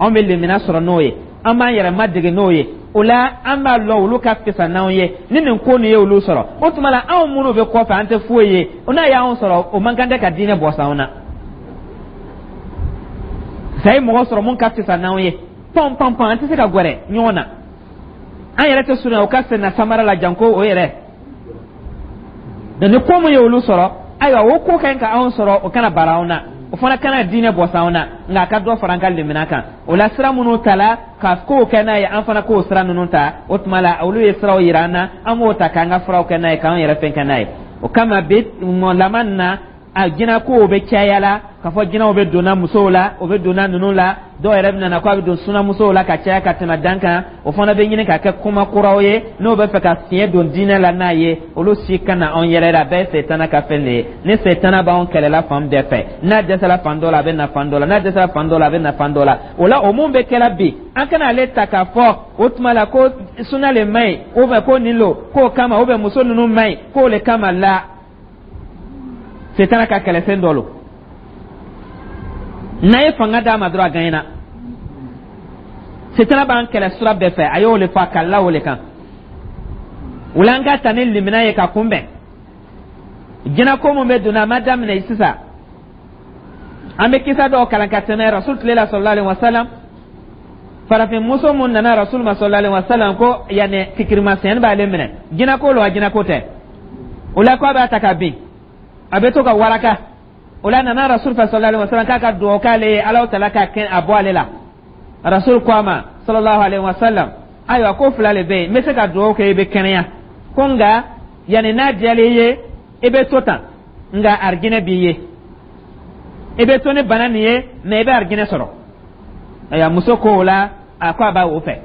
Anw bɛ limina sɔrɔ n'o ye, an b'an yɛrɛ madege n'o ye. O la an b'a lɔn olu ka fisa n'anw ye. Ni nin ko nin ye olu sɔrɔ, o tuma la anw minnu bɛ kɔfɛ, an tɛ foyi ye. O n'a y'anw sɔrɔ, o man kan tɛ ka diinɛ bɔ s'anw na. Sa ye mɔgɔ sɔrɔ mun ka fisa n'anw ye, pɔn pɔn pɔn, an tɛ se ka gɛrɛ ɲɔgɔn na. An yɛrɛ tɛ surunya o ka senna samara la janko o yɛrɛ. Donc ni ko mun ye olu sɔrɔ, ayiwa, o ko ka ɲi ka anw sɔrɔ, o kana bara anw na, o fana kana diinɛ bɔ s'anw na, nka a ka dɔ fara an ka limina kan. O la sira minnu ta la ka kow kɛ n'a ye, an fana k'o sira ninnu ta. O tuma la olu ye siraw yira an na, an b'o ta k'an ka furaw kɛ n'a ye, k'an yɛrɛ fɛn kɛ n'a ye. O kama bi laban na, a jinɛkow bɛ caya la, k'a fɔ jinɛw bɛ donna musow la, o bɛ donna ninnu la. Dɔw yɛrɛ bɛ nana ko a bɛ don sunamusow la ka caya ka tɛmɛ dan kan. O fana bɛ ɲini ka kɛ kuma kuraw ye n'o bɛ fɛ ka fiɲɛ don diinɛ la n'a ye. Olu si kana anw yɛrɛ la, a bɛɛ ye setana ka fɛn de ye. Ni setana b'anw kɛlɛla fan bɛɛ fɛ, n'a dɛsɛla fan dɔ la, a bɛ na fan dɔ la, n'a dɛsɛla fan dɔ la, a bɛ na fan dɔ la. O la o mun bɛ kɛla bi, an kana ale ta k'a fɔ o tuma la ko suna le man ɲi, ou bien ko nin lo k'o kama, ou bien muso ninnu man ɲi k'o le kama la. Setana ka kɛlɛfɛn dɔ lo, n'a ye fanga d'a ma dɔrɔn, a gagnera. Setana b'an kɛlɛ sira bɛɛ fɛ, a y'o le fɔ, a kalila o le kan. O la an ka ta ni limina ye ka kunbɛn jinɛko mun bɛ donna. A ma daminɛ sisan. An bɛ kisa dɔw kalan ka tɛmɛ Rasul tile la sallallahu alaihi wasallam. Farafin muso mun nana Rasul ma sallallahu alaihi wasallam ko yanni fikirimasɛnni b'ale minɛ, jinɛko lo wa jinɛko tɛ? O la ko a b'a ta ka bin, a bɛ to ka waraka. O la nana Rasul fɛ sallallahu alaihi wasallam k'a ka dugawu k'ale ye, Alahu Taala ka kɛ a bɔ ale la. Rasul ko a ma sallallahu alaihi wasallam: "Ayiwa, ko fila le bɛ yen, n bɛ se ka dugawu kɛ i bɛ kɛnɛya ko, nka yanni n'a diyalen i ye, i bɛ to tan, nka arijinɛ b'i ye. I bɛ to ni bana nin ye, mɛ i bɛ arijinɛ sɔrɔ." Ayiwa, muso ko o la, a ko a b'a o fɛ,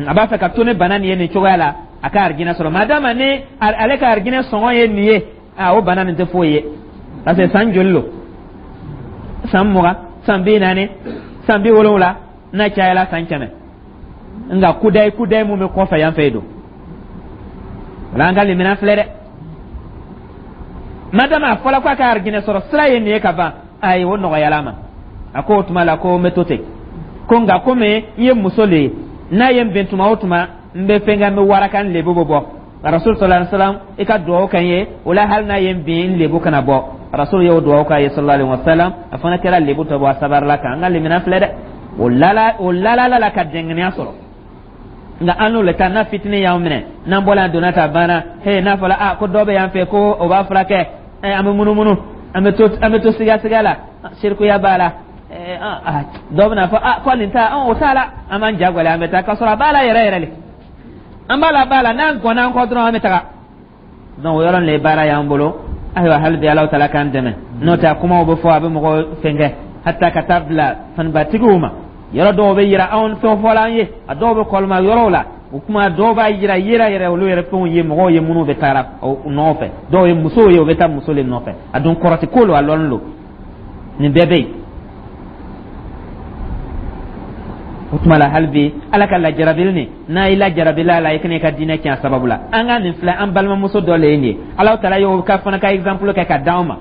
a b'a fɛ ka to ni bana nin ye nin cogoya la, a ka arijinɛ sɔrɔ. Madama ni ale ka arijinɛ sɔngɔ ye nin ye, a o bana nin tɛ foyi ye, parce que san joli lo? San mugan, san bi naani, san bi wolonwula, n'a cayala san kɛmɛ. Nka kudayi kudayi mun bɛ kɔfɛ yan fɛ yen don wala, an ka limina filɛ dɛ. Madama a fɔla k'a ka arijinɛ sɔrɔ sira ye nin ye ka ban, ayi, o nɔgɔyala ma. A ko o tuma la ko n bɛ to ten ko, nka komi n ye muso le ye, n'a ye n bɛn tuma o tuma, n bɛ fɛn kɛ, n bɛ waraka, n lebu bɛ bɔ. Rasul sallallahu alaihi wasallam, i ka duwawu kɛ n ye o la, hali n'a ye n bin, n lebu kana bɔ. Rasul y'o duwawu k'a ye sallallahu alaihi wasallam, a fana kɛra lebu tɔ bɔ, a sabarila kan. An ka lemina filɛ dɛ, o lala o lalala la ka dɛngɛniya sɔrɔ. Nka an n'o le ta n'a fitinin y'anw minɛ, n'an bɔla yan donna ta banna he, n'a fɔla a ko dɔ bɛ yan fɛ ko o b'a furakɛ, an bɛ munumunu, an bɛ to an bɛ to siga siga la, sirikuya b'a la. Dɔw bɛna fɔ a ko nin ta, o t'a la, an b'an ja gɛlɛya, an bɛ taa k'a sɔrɔ a b'a la yɛrɛ yɛrɛ le, an b'a la b'a la, n'an gɔnna an kɔ dɔrɔn, an bɛ taga. Donc o yɔrɔ nin le baara y'an bolo. Ayiwa, hali bi Alahu taala k'an dɛmɛ, n'o tɛ a kumaw bɛ fɔ, a bɛ mɔgɔ fɛnkɛ hata ka taa bila fanibatigiw ma. Yɔrɔ dɔw bɛ yira anw, fɛn fɔla an ye, a dɔw bɛ kɔlɔma yɔrɔw la, o kuma dɔw b'a yira yira yɛrɛ, olu yɛrɛ fɛnw ye mɔgɔw ye minnu bɛ taara nɔfɛ, dɔw ye musow ye, u bɛ taa muso le nɔfɛ, a dun kɔrɔti ko lo, a lɔnni lo, nin bɛɛ bɛ yen. O tuma la, hali bi Ala ka lajarabili nin, n'a y'i lajarabili a la, i kana i ka diinɛ tiɲɛ a sababu la. An ka nin filɛ, an balimamuso dɔ le ye nin ye. Alahu taala y'o ka fana ka exemple kɛ ka d'anw ma.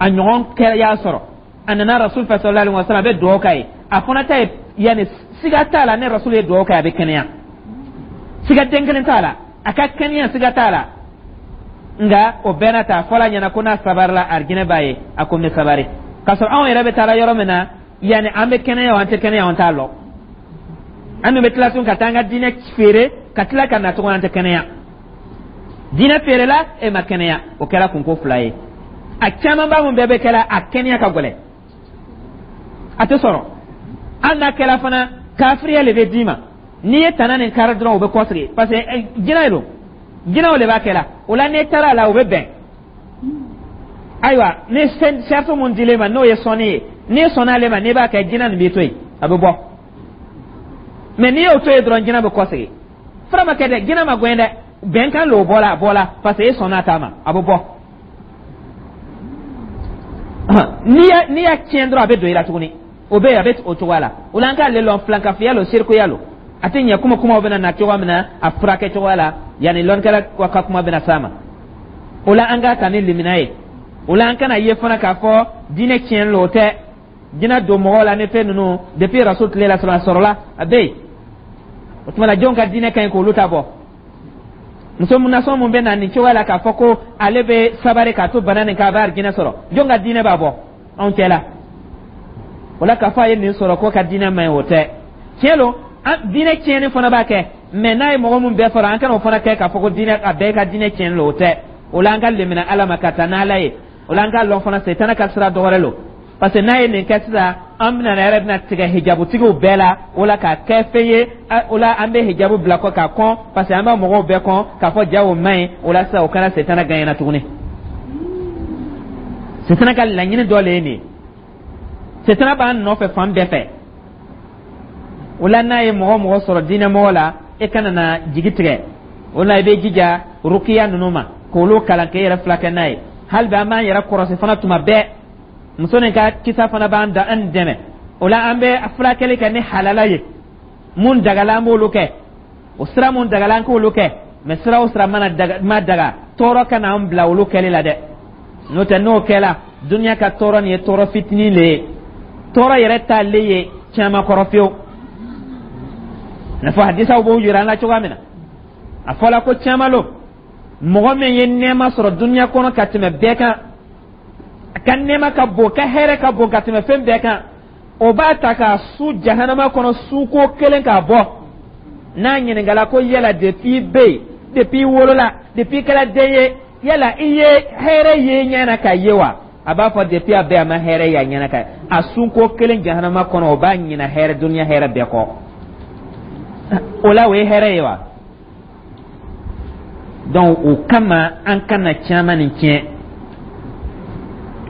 A ɲɔgɔn kɛ y'a sɔrɔ a nana Rasul fɛ sallallahu alaihi wasallam, a bɛ dugawu k'a ye. A fana ta ye, yanni siga t'a la, ni Rasul ye dugawu kɛ, a bɛ kɛnɛya, siga den kelen t'a la, a ka kɛnɛya siga t'a la. Nka o bɛɛ n'a ta, a fɔla a ɲɛna ko n'a sabarila, arijinɛ b'a ye. A ko n bɛ sabari, k'a sɔrɔ anw yɛrɛ bɛ taa yɔrɔ min na, yanni an bɛ kɛnɛya o, an tɛ kɛnɛya, an t'a lɔn. An dun bɛ tila tun ka taa an ka diinɛ feere, ka tila ka na tuguni, an tɛ kɛnɛya. Diinɛ feerela, e ma kɛnɛya, o kɛra kunko fila ye. A camanba mun bɛɛ bɛ kɛla, a kɛnɛya ka gɛlɛn, a tɛ sɔrɔ. Hali n'a kɛra fana, kafiriya le bɛ d'i ma. N'i ye tana nin kari dɔrɔn, u bɛ kɔsegin, parce que jinɛ don, jinɛw de b'a kɛ la. O la, n'i taara a la, u bɛ bɛn. Ayiwa, ni sariti mun dilen ma, n'o ye sɔnni ye, n'i sɔnna ale ma, n'i b'a kɛ, jinɛ nin b'i to yen, a bɛ bɔ. Mɛ n'i y'o to yen dɔrɔn, jinɛ bɛ kɔsegin. Fura ma kɛ dɛ, jinɛ ma gɛn dɛ, bɛnkan l'o bɔla, a bɔla parce que e sɔnna a ta ma, a bɛ bɔ. N'i y'a n'i y'a tiɲɛ dɔrɔn, a bɛ don i la tuguni. O bɛ yen, a bɛ o cogoya la. O la, an k'ale lɔn, filankafiya lo, sirikuya lo, a tɛ ɲɛ. Kuma kumaw bɛna na cogoya min na, a furakɛ cogoya la, yanni lɔnnikɛla ka kuma bɛna s'a ma. O la, an k'a ta ni limina ye. O la, an kana ye fana k'a fɔ diinɛ tiɲɛ lo, o tɛ. Jinɛ don mɔgɔw la ni fɛn ninnu, depuis Rasul tile la sɔrɔ, a sɔrɔla, a bɛ yen. O tuma na, jɔn ka diinɛ ka ɲi k'olu ta bɔ? Muso nasɔn mun bɛ na nin cogoya la k'a fɔ ko ale bɛ sabari k'a to bana nin kan, a bɛ arijinɛ sɔrɔ, jɔn ka diinɛ b'a bɔ anw cɛ la? O la, k'a fɔ a ye nin sɔrɔ ko ka diinɛ man ɲi, o tɛ tiɲɛ lo. Diinɛ tiɲɛni fana b'a kɛ, mɛ n'a ye mɔgɔ mun bɛɛ sɔrɔ, an kana o fana kɛ k'a fɔ ko diinɛ a bɛɛ ka diinɛ tiɲɛni lo, o tɛ. O la, an ka lemina Ala ma ka taa n'Ala ye. O la, an k'a lɔn fana, setana ka sira dɔ wɛrɛ lo, parce que n'a ye nin kɛ sisan, an bɛna yɛrɛ bɛna tigɛ hijabutigiw bɛɛ la. O la, k'a kɛ fɛn ye, o la an bɛ hijabu bila kɔ k'a kɔn, parce que an b'a mɔgɔw bɛɛ kɔn k'a fɔ ja o man ɲi. O la sisan, o kɛra setana gɛnna tuguni. Setana ka laɲini dɔ le ye nin ye. Setana b'an nɔfɛ fan bɛɛ fɛ. O la, n'a ye mɔgɔ mɔgɔ sɔrɔ diinɛmɔgɔ la, e kana na jigi tigɛ. O la, i bɛ jija rukiya ninnu ma k'olu kalan k'e yɛrɛ filakɛ n'a ye. Hali bi an b'an yɛrɛ kɔrɔsi fana tuma bɛɛ. Muso nin ka kisa fana b'an da an dɛmɛ. O la, an bɛ furakɛli kɛ ni halala ye. Mun dagala, an b'olu kɛ. O sira mun dagala, an k'olu kɛ. Mɛ sira o sira mana daga, ma daga, tɔɔrɔ kana an bila olu kɛli la dɛ. N'o tɛ, n'o kɛla, duniya ka tɔɔrɔ nin ye tɔɔrɔ fitinin le ye, tɔɔrɔ yɛrɛ t'ale ye caman kɔrɔ fiyewu. N'a fɔ hadisaw b'o yira an la cogoya min na, a fɔla ko caman lo, mɔgɔ min ye nɛɛma sɔrɔ duniya kɔnɔ ka tɛmɛ bɛɛ kan, a ka nɛɛma ka bon, ka hɛrɛ ka bon ka tɛmɛ fɛn bɛɛ kan, o b'a ta k'a su jahanama kɔnɔ suko kelen k'a bɔ. N'a ɲininkala ko yala depuis i bɛ yen, depuis i wolola, depuis i kɛra den ye, yala i ye hɛrɛ ye ɲɛ na k'a ye wa? A b'a fɔ depuis a bɛ, a ma hɛrɛ ye a ɲɛna ka a sunko kelen jahanama kɔnɔ, o b'a ɲina hɛrɛ duniya hɛrɛ bɛɛ kɔ. O la, o ye hɛrɛ ye wa? Donc o kama, an kana caman nin tiɲɛ,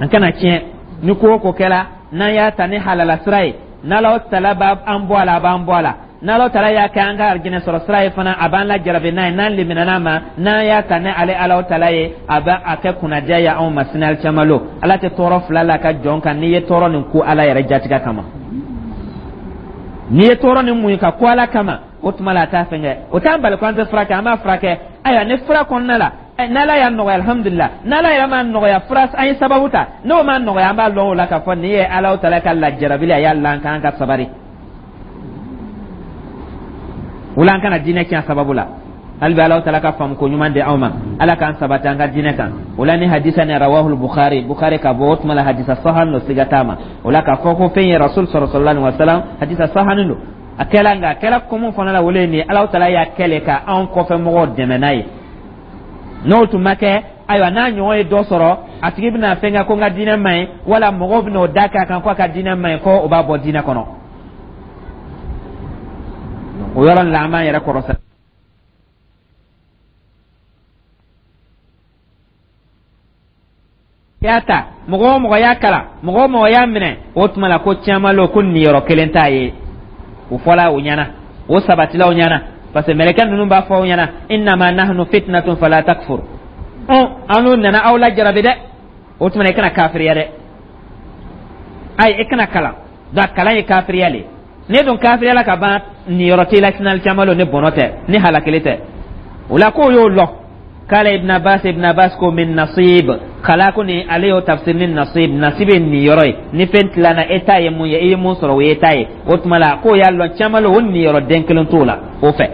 an kana tiɲɛ. Ni ko o ko kɛra, n'an y'a ta ni halala sira ye, n'Ala tala b'an bɔ a la, a b'an bɔ a la. N'Ala tala y'a kɛ an ka arijinɛ sɔrɔ sira ye fana, a b'an lajarabi n'a ye. N'an limina ma, n'an y'a ta ni ale Ala tala ye, a b'a a kɛ kunnadiya ye anw ma sini alikiyama lo. Ala tɛ tɔɔrɔ fila la ka jɔn kan. N'i ye tɔɔrɔ nin ko Ala yɛrɛ jatigɛ kama, n'i ye tɔɔrɔ nin muɲu ka ko Ala kama, o tuma la a t'a fɛn kɛ. O t'an bali ko an tɛ furakɛ, an b'a furakɛ. Ayiwa, ni fura kɔnɔna la, n'Ala y'a nɔgɔya, alihamudulila. N'Ala yɛrɛ m'a nɔgɔya, fura an ye sababu ta, n'o m'a nɔgɔya, an b'a lɔn o la k'a fɔ nin ye Ala tala ka lajarabili, a y'a lan k'an ka sabari. O la, an kana diinɛ tiɲɛ sababu la. Hali bi Alahu Taala ka faamu ko ɲuman di aw ma. Ala k'an sabati an ka diinɛ kan. O la ni hadisa ni rawahul Bukhari, Bukhari ka bɔ, o tuma la hadisa sahan lo, siga t'a ma. O la k'a fɔ ko fɛn ye Rasul sɔrɔ sallallahu alaihi wasallam, hadisa sahanin don. A kɛla, nka a kɛla komo fana la, wele ni Alahu Taala y'a kɛlɛ ka anw kɔfɛ mɔgɔw dɛmɛ n'a ye. N'o tun ma kɛ, ayiwa, n'a ɲɔgɔn ye dɔ sɔrɔ, a tigi bɛna fɛn kɛ ko n ka diinɛ man ɲi, wala mɔgɔw bɛna o da k'a kan ko a ka diinɛ man ɲi, ko o b'a bɔ diinɛ kɔnɔ. O yɔrɔ la, an b'an yɛrɛ kɔrɔsɛ. Y'a ta, mɔgɔ o mɔgɔ y'a kalan, mɔgɔ o mɔgɔ y'a minɛ, o tuma la ko caman lo ko niyɔrɔ kelen t'a ye. O fɔla o ɲɛna, o sabatila o ɲɛna, parce que mɛlɛkɛ ninnu b'a fɔ o ɲɛna: innama nahnu fitnatun fala takfur. Ɔn, an n'u nana aw lajarabi dɛ. O tuma na i kana kafiriya dɛ. Ayi, i kana kalan. Donc kalan ye kafiriya le. Ne dun kafiriya la ka ban, niyɔrɔ t'i la sinali caman lo, ni bɔnɔ tɛ, ni halakili tɛ. O la k'o y'o lɔ. Kala Ibn Abbas, Ibn Abbas ko min nasib kala ko ni ale y'o tafsir ni nasib. Nasib ye niyɔrɔ ye. Ni fɛn tilana, e ta ye mun ye? I ye mun sɔrɔ, o ye ta ye. O tuma la k'o y'a lɔn caman lo, o niyɔrɔ den kelen t'o la o fɛ.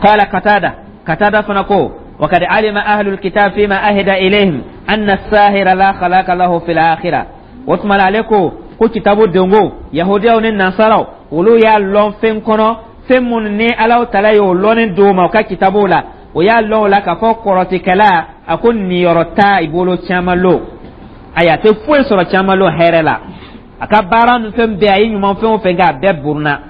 Kala Katada, Katada fana ko وقد علم أهل الكتاب فيما أهدى إليهم أن الساهر لا خلاق له في الآخرة. O tuma la ale ko ko kitabu dengo yahudiyaw ni nasaraw, olu y'a lɔn fɛn kɔnɔ, fɛn minnu ni Alahu Taala y'o lɔnni d'o ma u ka kitabuw la, o y'a lɔn o la k'a fɔ kɔrɔtikɛla, a ko niyɔrɔ t'a i bolo caman lo. Ayi, a tɛ foyi sɔrɔ caman lo hɛrɛ la. A ka baara ni fɛn bɛɛ, a ye ɲuman fɛn o fɛn kɛ, a bɛɛ buruna.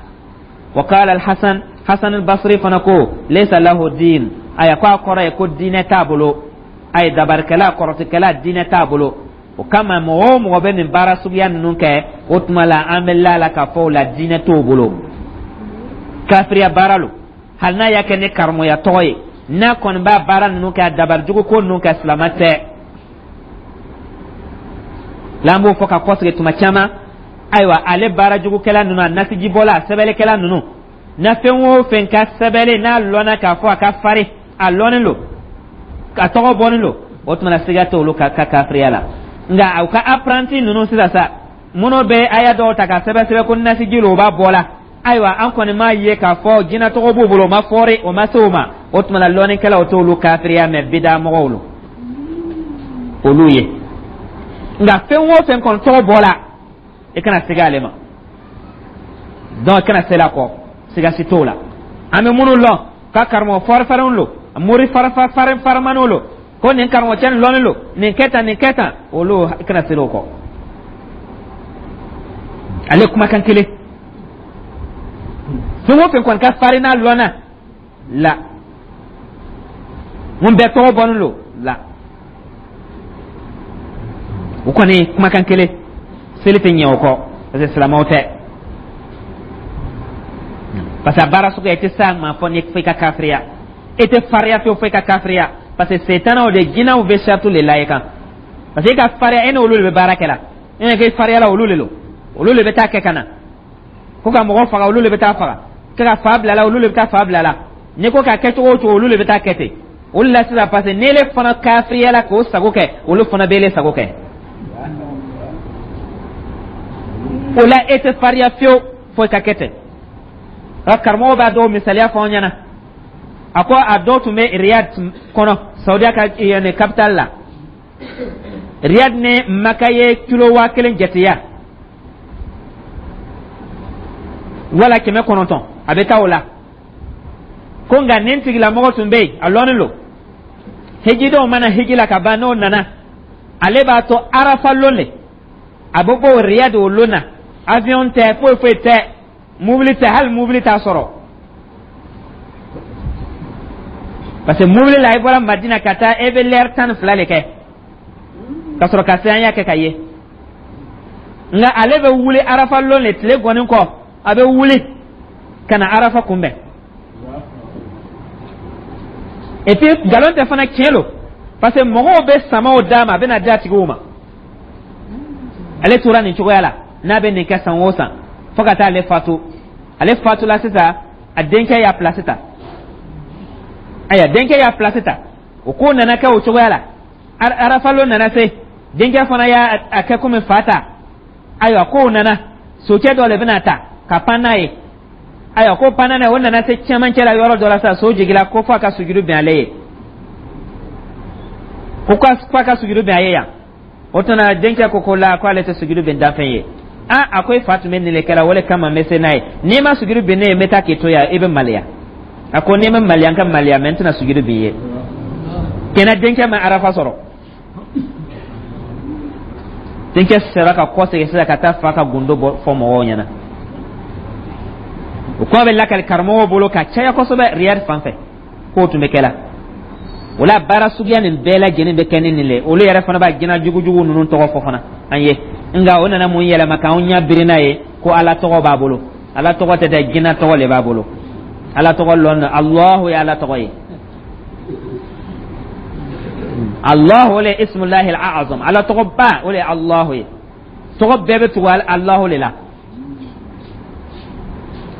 Wa qala al-Hasan, Hasan al-Basri fana ko laysa lahu din. Ayi, ko a kɔrɔ ye ko diinɛ t'a bolo. Ayi, dabarikɛla, kɔrɔtikɛla, diinɛ t'a bolo. O kama mɔgɔ o mɔgɔ bɛ nin baara suguya ninnu kɛ, o tuma la an bɛ la la k'a fɔ o la diinɛ t'o bolo, kafiriya baara lo. Hali n'a y'a kɛ ni karamɔgɔya tɔgɔ ye, n'a kɔni b'a baara ninnu kɛ, a dabarijugu ko ninnu kɛ, silama tɛ la. An b'o fɔ ka kɔsegin tuma caman. Ayiwa, ale baarajugukɛla ninnu, a nasijibɔla, a sɛbɛnnikɛla ninnu na, fɛn o fɛn ka sɛbɛnni n'a lɔnna k'a fɔ a ka farin, a lɔnnen don, a tɔgɔ bɔnnen don, o tuma na siga t'olu ka ka kafiriya la. Nka u ka apprenti ninnu sisan sa, minnu bɛ aya dɔw ta ka sɛbɛn sɛbɛn ko nasiji lo, o b'a bɔ la. Ayiwa, an kɔni m'a ye k'a fɔ jinɛ tɔgɔ b'u bolo, o ma fɔri, o ma se o ma. O tuma na lɔnnikɛlaw t'olu kafiriya, mɛ bida mɔgɔw lo olu ye. Nka fɛn o fɛn kɔni tɔgɔ bɔla, i kana siga ale ma. Donc i kana seli a kɔ, siga si t'o la. An bɛ minnu lɔn ka karamɔgɔ fɔrifarinw lo, mori farifarin farimaniw lo, ko nin karamɔgɔ cɛ nin lɔnni lo, nin kɛ tan, nin kɛ tan, olu, i kana seli o kɔ. Ale kumakan kelen, fɛn o fɛn kɔni ka farin n'a lɔnna la, mun bɛɛ tɔgɔ bɔnnen lo la, o kɔni kumakan kelen, seli tɛ ɲɛ o kɔ, parce que silamɛw tɛ. Parce que a baara suguya, i tɛ s'a ma fɔ ni fo i ka kafiriya. I tɛ fariya fiyewu fo i ka kafiriya, parce que setanaw de, jinɛw bɛ saratu le la i kan, parce que i ka fariya, e n'olu de bɛ baara kɛ la. E k'i fariya la, olu de lo, olu de bɛ taa kɛ ka na ko ka mɔgɔ faga, olu de bɛ taa faga, ko ka fa bila la, olu de bɛ taa fa bila la. N'i ko k'a kɛ cogo o cogo, olu de bɛ taa kɛ ten. Olu la sisan, parce que n'ele fana kafiriya la k'o sago kɛ, olu fana b'ele sago kɛ. O la e tɛ fariya fiyewu fo i ka kɛ ten. A karamɔgɔ b'a dɔw misaliya fɔ an ɲɛna. A ko a dɔw tun bɛ Riyad kɔnɔ, Saudiya ka yani capital la. Riyad ni Maka ye kilo waa kelen jateya wala kɛmɛ kɔnɔntɔn, a bɛ taa o la. Ko nka nin tigilamɔgɔ tun bɛ yen, a lɔnnen lo. Hijidenw mana hiji la ka ban, n'o nana, ale b'a to Arafa lon de, a bɛ bɔ Riyad o lon na. Avion tɛ, foyi foyi tɛ, mobili tɛ, hali mobili t'a sɔrɔ, parce que mobili la, i bɔra Madina ka taa, e bɛ lɛri tan ni fila de kɛ ka sɔrɔ ka se. An y'a kɛ ka ye. Nka ale bɛ wuli Arafa lon de, tile gɔni kɔ, a bɛ wuli ka na Arafa kunbɛn. Et puis nkalon tɛ fana, tiɲɛ lo, parce que mɔgɔw bɛ samaw d'a ma, a bɛ na di a tigiw ma. Ale tora nin cogoya la, n'a bɛ nin kɛ san o san fo ka taa ale fatu. Ale fatula sisan, a denkɛ y'a place ta. Ayiwa, denkɛ y'a place ta, o ko nana kɛ o cogoya la. Arafalo nana se, denkɛ fana y'a a kɛ komi fa ta. Ayiwa, kow nana, sokɛ dɔ de bɛna ta ka pan n'a ye. Ayiwa, ko panna na, o nana se cɛmancɛ la yɔrɔ dɔ la sa, so jigila ko fo a ka sujudu bɛn ale ye, ko fo a ka sujudu bɛn a ye yan. O tuma denkɛ ko ko la, ko ale tɛ sujudu bɛn danfɛn ye. A a ko e fa tun bɛ nin de kɛla, o de kama n bɛ se n'a ye. N'i ma sujudu bɛn ne ye, n bɛ taa k'i to yan, i bɛ maloya. A ko n'i ma maloya, n ka maloya, mɛ n tɛna sujudu bɛn i ye. Kɛnɛ denkɛ ma arafa sɔrɔ. Denkɛ sera ka kɔsegin sisan ka taa fa ka gundo bɔ fɔ mɔgɔw ɲɛna. O kuma bɛ lakali karamɔgɔw bolo ka caya kosɛbɛ Riyad fan fɛ, k'o tun bɛ kɛ la. O la, baara suguya nin bɛɛ lajɛlen bɛ kɛ ni nin le. Olu yɛrɛ fana b'a jinɛ jugujugu ninnu tɔgɔ fɔ fana an ye. Nka o nana mun yɛlɛma k'anw ɲɛ biri n'a ye ko Ala tɔgɔ b'a bolo? Ala tɔgɔ tɛ dɛ, jinɛ tɔgɔ le b'a bolo. Ala tɔgɔ lɔn, Alahu ye Ala tɔgɔ ye. Allahu le ismullahi al-azam, Ala tɔgɔ ba, o le ye Allahu ye. Tɔgɔ bɛɛ bɛ tugu Allahu le la.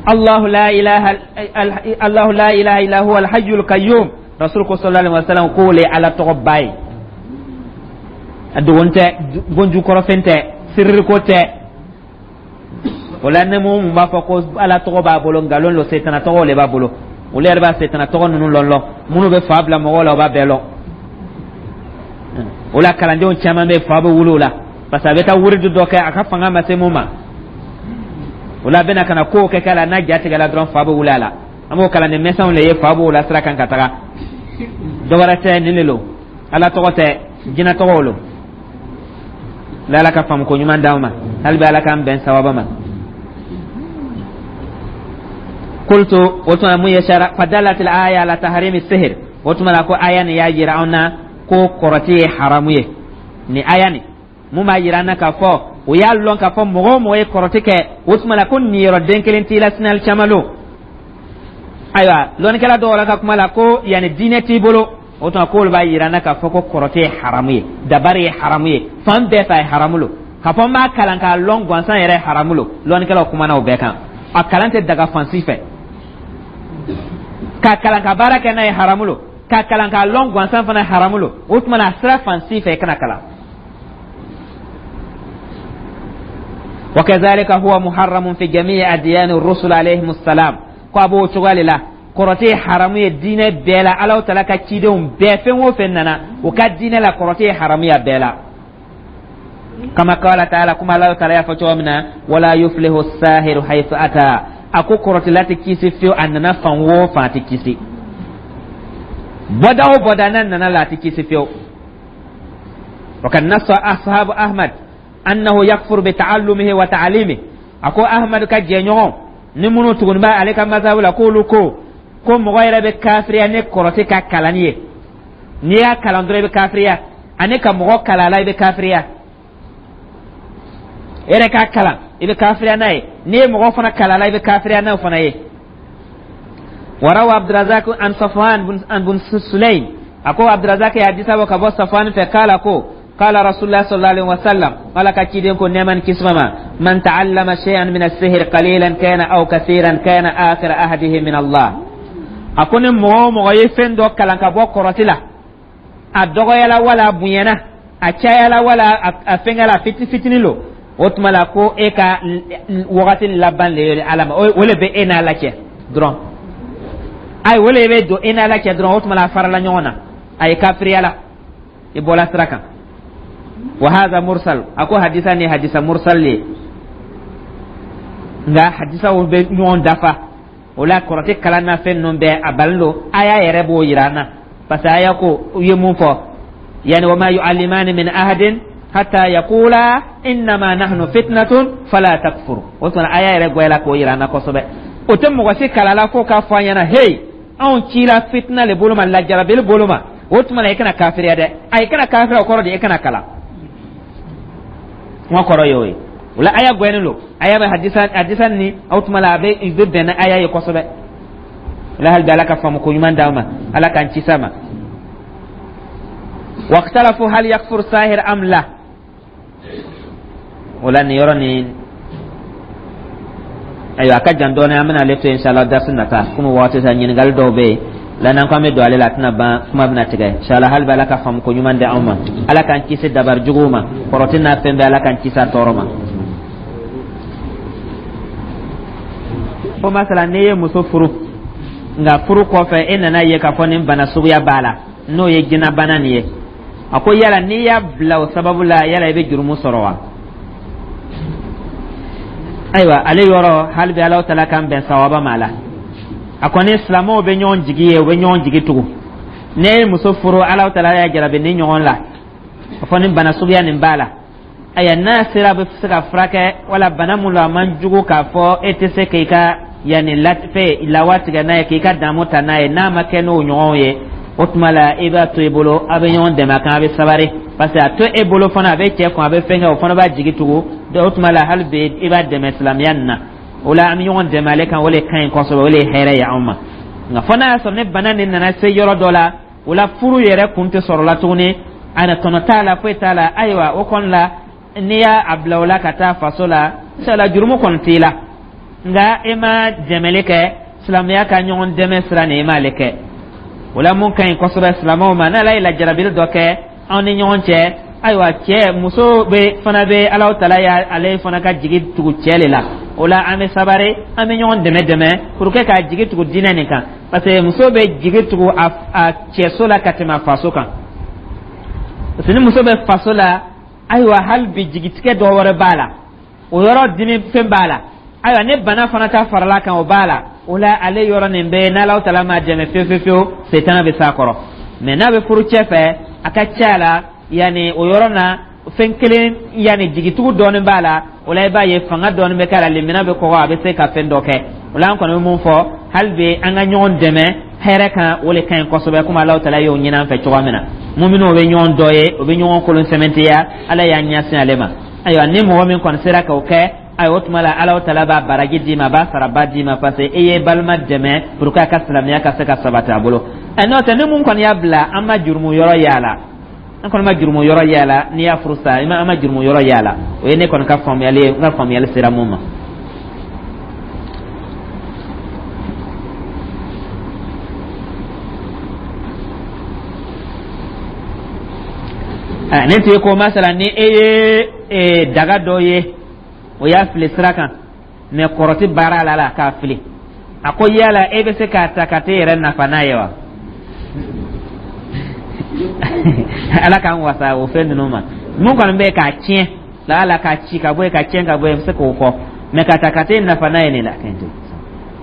Allahu la ilaha, Allahu la ilaha illa huwa al-hayyul qayyum. Rasul ko sallallahu alaihi wasallam k'o le Ala tɔgɔ ba ye. A dogon tɛ, bonjukɔrɔfɛn tɛ, siriko tɛ. O la, ni mun b'a fɔ ko Ala tɔgɔ b'a bolo, nkalon lo, setana tɔgɔ le b'a bolo. Olu yɛrɛ b'a setana tɔgɔ ninnu lɔn lɔn. Minnu bɛ fa bila mɔgɔw la, o b'a bɛɛ lɔn. O la, kalandenw caman bɛ fa bɛ wuli o la, parce que a bɛ taa wuridu dɔ kɛ, a ka fanga ma se mun ma. O la, a bɛna ka na kow kɛ k'a la, n'a ja tigɛla dɔrɔn, fa bɛ wuli a la. An b'o kalanden mɛsɛnw le ye, fa b'o la sira kan ka taga. Dɔ wɛrɛ tɛ, nin de lo. Ala tɔgɔ tɛ, jinɛ tɔgɔw lo la. Ala ka faamu ko ɲuman d'anw ma hali bi, Ala k'an bɛn sawaba ma. Qultu, o tuma mun ye sara fadalat al aya ala tahrimi sihir. O tuma la, ko aya nin y'a yira anw na ko kɔrɔti ye haramu ye. Ni aya nin, mun b'a yira an na k'a fɔ o y'a lɔn k'a fɔ mɔgɔ o mɔgɔ ye kɔrɔti kɛ, o tuma la ko niyɔrɔ den kelen t'i la sinali caman lo. Ayiwa, lɔnnikɛla dɔw la ka kuma la ko yanni diinɛ t'i bolo, o tuma k'olu b'a yira an na k'a fɔ ko kɔrɔti ye haramu ye, dabari ye haramu ye, fan bɛɛ fɛ a ye haramu lo. K'a fɔ n b'a kalan k'a lɔn gansan yɛrɛ ye haramu lo. Lɔnnikɛlaw kumana o bɛɛ kan. A kalan tɛ daga fan si fɛ. K'a kalan ka baara kɛ n'a ye, haramu lo. K'a kalan k'a lɔn gansan fana, haramu lo. O tuma na, a sira fan si fɛ i kana kalan. وكذلك هو محرم في جميع أديان الرسل عليهم السلام. Ko a b'o cogoya de la, kɔrɔtɛ ye haramu ye diinɛ bɛɛ la. Alaw tala ka cidenw bɛɛ, fɛn o fɛn nana o ka diinɛ la, kɔrɔtɛ ye haramu ye a bɛɛ la. Kama qala taala, kuma Alaw tala y'a fɔ cogo min na: wala yuflihu sahiru haythu ata. A ko kɔrɔtɛla tɛ kisi fiyewu, a nana fan o fan, a tɛ kisi. Bɔda o bɔda n'a nana la, a tɛ kisi fiyewu. وقد نص أصحاب أحمد أنه يكفر بتعلمه وتعليمه. A ko Ahmad ka jɛɲɔgɔn ni minnu tuguni b'a ale ka mazhabu la, k'olu ko ko mɔgɔ yɛrɛ bɛ kafiriya ni kɔrɔtɛ ka kalanni ye. N'i y'a kalan dɔrɔn, i bɛ kafiriya, ani ka mɔgɔ kalan a la, i bɛ kafiriya. E yɛrɛ k'a kalan, i bɛ kafiriya n'a ye. N'i ye mɔgɔ fana kalan a la, i bɛ kafiriya n'o fana ye. وروى عبد الرزاق عن صفوان بن بن سليم. أكو عبد الرزاق يا حديث أبو كبو صفوان، فقال أكو قال رسول الله صلى الله عليه وسلم، قال كتيدين كن نعمان كسمما: من تعلم شيئا من السحر قليلا كان أو كثيرا كان آخر عهده من الله. أكون مو مو يفن دو كلان كبو كرتلا، a dɔgɔyala wala a bonyana, a cayala wala a fɛngɛla, fiti fitini lo, o tuma la ko e ka wagati laban le ye Ala ma, o le bɛ e n'Ala cɛ dɔrɔn. Ayi, o le bɛ don e n'Ala cɛ dɔrɔn. O tuma la, a farala ɲɔgɔn na, a ye kafiriya la, i bɔla sira kan. Wa hadha mursal. A ko hadisa ni hadisa mursal le, nka hadisaw bɛ ɲɔgɔn dafa. O la, kɔrɔtɛ kalan na fɛn ninnu bɛɛ a balen don. Aya yɛrɛ b'o yira an na, parce que aya ko u ye mun fɔ yani: wa ma yu'allimani min ahadin hatta yaqula innama nahnu fitnatun fala takfur. O tuma aya yɛrɛ gwɛla k'o yira an na kosɛbɛ. O tɛ mɔgɔ si kala la fo k'a fɔ an ɲɛna: hey, anw cila fitina le bolo ma, lajarabili bolo ma. O tuma na, i kana kafiriya dɛ. A i kana kafiriya, o kɔrɔ de i kana kalan. Kuma kɔrɔ ye o ye. O la, aya gwɛnnen don, aya bɛ hadisa hadisa ni o tuma la, a bɛ i bɛ bɛn ni aya ye kosɛbɛ. O la, hali bi Ala ka faamu ko ɲuman d'an ma, Ala k'an ci sa ma. واختلفوا هل يكفر ساحر أم لا. Wala nin yɔrɔ nin, ayiwa, a ka jan dɔɔnin, an bɛna ale to inshallah darsi nata. Komi waati sa, ɲininkali dɔw bɛ yen la, n'an ko an bɛ don ale la, a tɛna ban, kuma bɛna tigɛ. Inshallah, hali bi Ala ka faamu ko ɲuman di anw ma, Ala k'an kisi dabari juguw ma, kɔrɔti n'a fɛn bɛɛ, Ala k'an kisi a tɔɔrɔ ma. Fo masala n'i ye muso furu, nka furu kɔfɛ e nana ye k'a fɔ nin bana suguya b'a la, n'o ye jinɛbana nin ye, a ko yala n'i y'a bila o sababu la, yala i bɛ jurumu sɔrɔ wa? Ayiwa, ale yɔrɔ hali bi Alahu Taala k'an bɛn sawaba ma la. A kɔni silamɛw bɛ ɲɔgɔn jigi ye, u bɛ ɲɔgɔn jigi tugu. Ne ye muso furu, Alahu Taala y'a jarabi ni ɲɔgɔn la a fɔ nin bana suguya nin b'a la. Ayiwa, n'a sera a bɛ se ka furakɛ wala bana mun lo, a man jugu k'a fɔ e tɛ se k'i ka yanni fɛ lawa tigɛ n'a ye, k'i ka damu ta n'a ye, n'a ma kɛ n'o ɲɔgɔn ye, o tuma la i b'a to i bolo, a bɛ ɲɔgɔn dɛmɛ a kan, a bɛ sabari, parce que a to e bolo fana, a bɛ cɛ kun, a bɛ fɛn kɛ, o fana b'a jigi tugu. O tuma la hali bi i b'a dɛmɛ silamɛya nin na. O la an bɛ ɲɔgɔn dɛmɛ ale kan, o de ka ɲi kosɛbɛ, o de ye hɛrɛ ye anw ma. Nka fo n'a y'a sɔrɔ ni bana nin nana se yɔrɔ dɔ la, o la furu yɛrɛ kun tɛ sɔrɔ la tuguni, a na tɔnɔ t'a la, foyi t'a la. Ayiwa, o kɔni la n'i y'a bila o la ka taa faso la, inshallah jurumu kɔni t'i la, nka e ma dɛmɛli kɛ silamɛya ka ɲɔgɔn dɛmɛ sira nin, e m'ale kɛ. O la mun ka ɲi kosɛbɛ silamɛw ma, n'Ala ye lajarabili dɔ kɛ anw ni ɲɔgɔn cɛ, ayiwa, cɛ muso bɛ fana bɛ Alahu Taala y'ale fana ka jigi tugu cɛ de la. O la an bɛ sabari, an bɛ ɲɔgɔn dɛmɛ dɛmɛ pour que k'a jigi tugu diinɛ nin kan, parce que muso bɛ jigi tugu a a cɛso la ka tɛmɛ a faso kan, parce que ni muso bɛ faso la, ayiwa, hali bi jigitigɛ dɔ wɛrɛ b'a la, o yɔrɔ dimi fɛn b'a la. Ayiwa, ni bana fana ta farala kan, o b'a la. O la ale yɔrɔ nin bɛ n'Alahu Taala m'a dɛmɛ fewu fewu fewu, setana bɛ s'a kɔrɔ. Mɛ n'a bɛ furu cɛ fɛ, a ka ca la yanni o yɔrɔ na fɛn kelen, yanni jigitugu dɔɔnin b'a la. O la i b'a ye fanga dɔɔnin bɛ k'a la, lemina bɛ kɔgɔ, a bɛ se ka fɛn dɔ kɛ. O la an kɔni bɛ mun fɔ hali bi, an ka ɲɔgɔn dɛmɛ hɛrɛ kan, o de ka ɲi kosɛbɛ, komi Alahu Taala y'o ɲini an fɛ cogoya min na. Muminw bɛ ɲɔgɔn dɔ ye, o bɛ ɲɔgɔn kolon sɛmɛntiya, Ala y'an ɲɛsin ale ma. Ayiwa, ni mɔgɔ min kɔni sera k'o kɛ, ayiwa, o tuma la Alahu Taala b'a baraji d'i ma, a b'a saraba d'i ma, parce que e ye balima dɛmɛ pour que a ka silamɛya ka se ka sabati a bolo. Ɛ n'o tɛ, ni mun kɔni y'a bila, an ma jurumu yɔrɔ y'a la, an kɔni ma jurumu yɔrɔ y'a la. N'i y'a furu sa, an ma jurumu yɔrɔ y'a la. O ye ne kɔni ka faamuyali ye, n ka faamuyali sera mun ma. Ne tun ye ko masala ni e ye daga dɔ ye, o y'a fili sira kan, mɛ kɔrɔti baara la la k'a fili, a ko yala e bɛ se k'a ta ka t'e yɛrɛ nafa n'a ye wa? Ala k'an wasa o fɛn ninnu ma. Mun kɔni bɛ k'a tiɲɛ la, ala k'a ci ka bɔ yen, ka tiɲɛ ka bɔ yen, n bɛ se k'o fɔ, mɛ ka ta ka t'e nafa n'a ye nin la,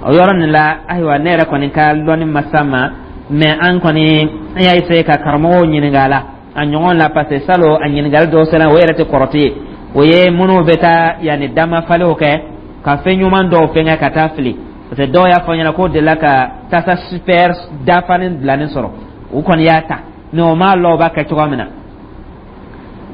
o yɔrɔ nin la, ayiwa, ne yɛrɛ kɔni ka lɔnni ma s'a ma, mɛ an kɔni an y'a essayer ka karamɔgɔw ɲininka a la a ɲɔgɔn la, parce que salon a ɲininkali dɔw sera, o yɛrɛ tɛ kɔrɔti ye, o ye minnu bɛ taa yanni damafalew kɛ ka fɛn ɲuman dɔw fɛngɛ ka taa fili, parce que dɔw y'a fɔ n ɲɛna k'o delila ka tasa super dafalen bilanen sɔrɔ, u kɔni y'a ta, mɛ o m'a lɔ o b'a kɛ cogoya min na.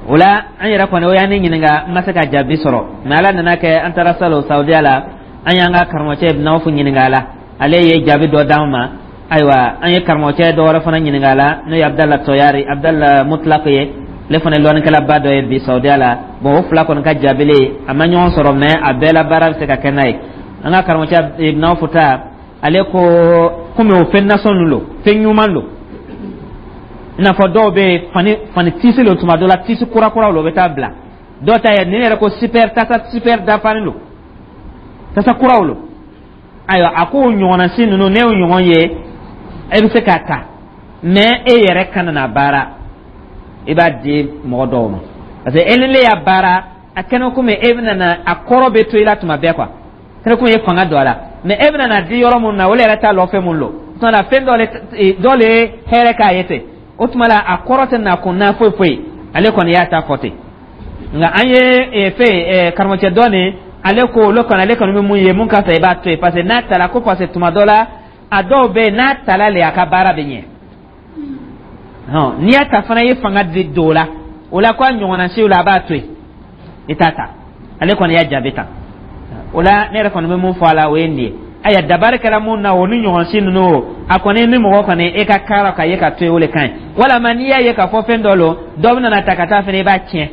O la an yɛrɛ kɔni o y'an ne ɲininka, n ma se ka jaabi sɔrɔ, mɛ Ala nana kɛ an taara salon Saudiya la, an y'an ka karamɔgɔcɛ Nawfu ɲininka a la, ale ye jaabi dɔ d'an ma. Ayiwa, an ye karamɔgɔcɛ dɔ wɛrɛ fana ɲininka a la, n'o ye Abudala Tɔyari, Abudala Mutlaq ye, ale fana ye lɔnnikɛlaba dɔ ye bi Saudiya la. Bon, o fila kɔni ka jaabili a ma ɲɔgɔn sɔrɔ, mɛ a bɛɛ la baara bɛ se ka kɛ n'a ye. An ka karamɔgɔcɛ Nawfu ta, ale ko komi o fɛn nasɔn ninnu don, fɛn ɲuman don, i n'a fɔ dɔw bɛ yen fani fani tisi lo, tuma dɔ la tisi kura kuraw lo, o bɛ taa bila dɔw ta ye nin yɛrɛ ko super tasa super dafalen don, tasa kuraw lo. Ayiwa, a ko o ɲɔgɔnna si ninnu, ne y'o ɲɔgɔn ye, e bɛ se k'a ta, mɛ e yɛrɛ kana na baara, i b'a di mɔgɔ dɔw ma, parce que e ni ne y'a baara, a kɛnɛ komi e bɛna na a kɔrɔ bɛ to i la tuma bɛɛ quoi, kɛnɛ komi e ye fanga don a la, mɛ e bɛna na di yɔrɔ mun na, olu yɛrɛ t'a lɔ fɛn mun lo, o tuma na fɛn dɔ le dɔ le ye hɛrɛ k'a ye ten, o tuma la a kɔrɔ tɛ na kun na foyi foyi. Ale kɔni y'a ta fɔ ten. Nka an ye fɛn karamɔgɔcɛ dɔ nin, ale ko olu kɔni, ale kɔni bɛ mun ye, mun ka fisa, i b'a to yen, parce que n'a tala ko, parce que tuma dɔ la a dɔw bɛ yen n'a tala le, a ka baara bɛ ɲɛ. N'i y'a ta fana, i ye fanga di don o la, o la ko a ɲɔgɔnna siw la, a b'a to yen, i t'a ta. Ale kɔni y'a jaabi tan. O la ne yɛrɛ kɔni bɛ mun fɔ a la, o ye nin ye. Ayiwa, dabari kɛra mun na, o ni ɲɔgɔn si ninnu, o a kɔni ni mɔgɔ kɔni e ka kara ka ye ka to yen, o de ka ɲi. Walama n'i y'a ye k'a fɔ fɛn dɔ lo, dɔ bɛ na ta ka taa fɛnɛ, i b'a tiɲɛ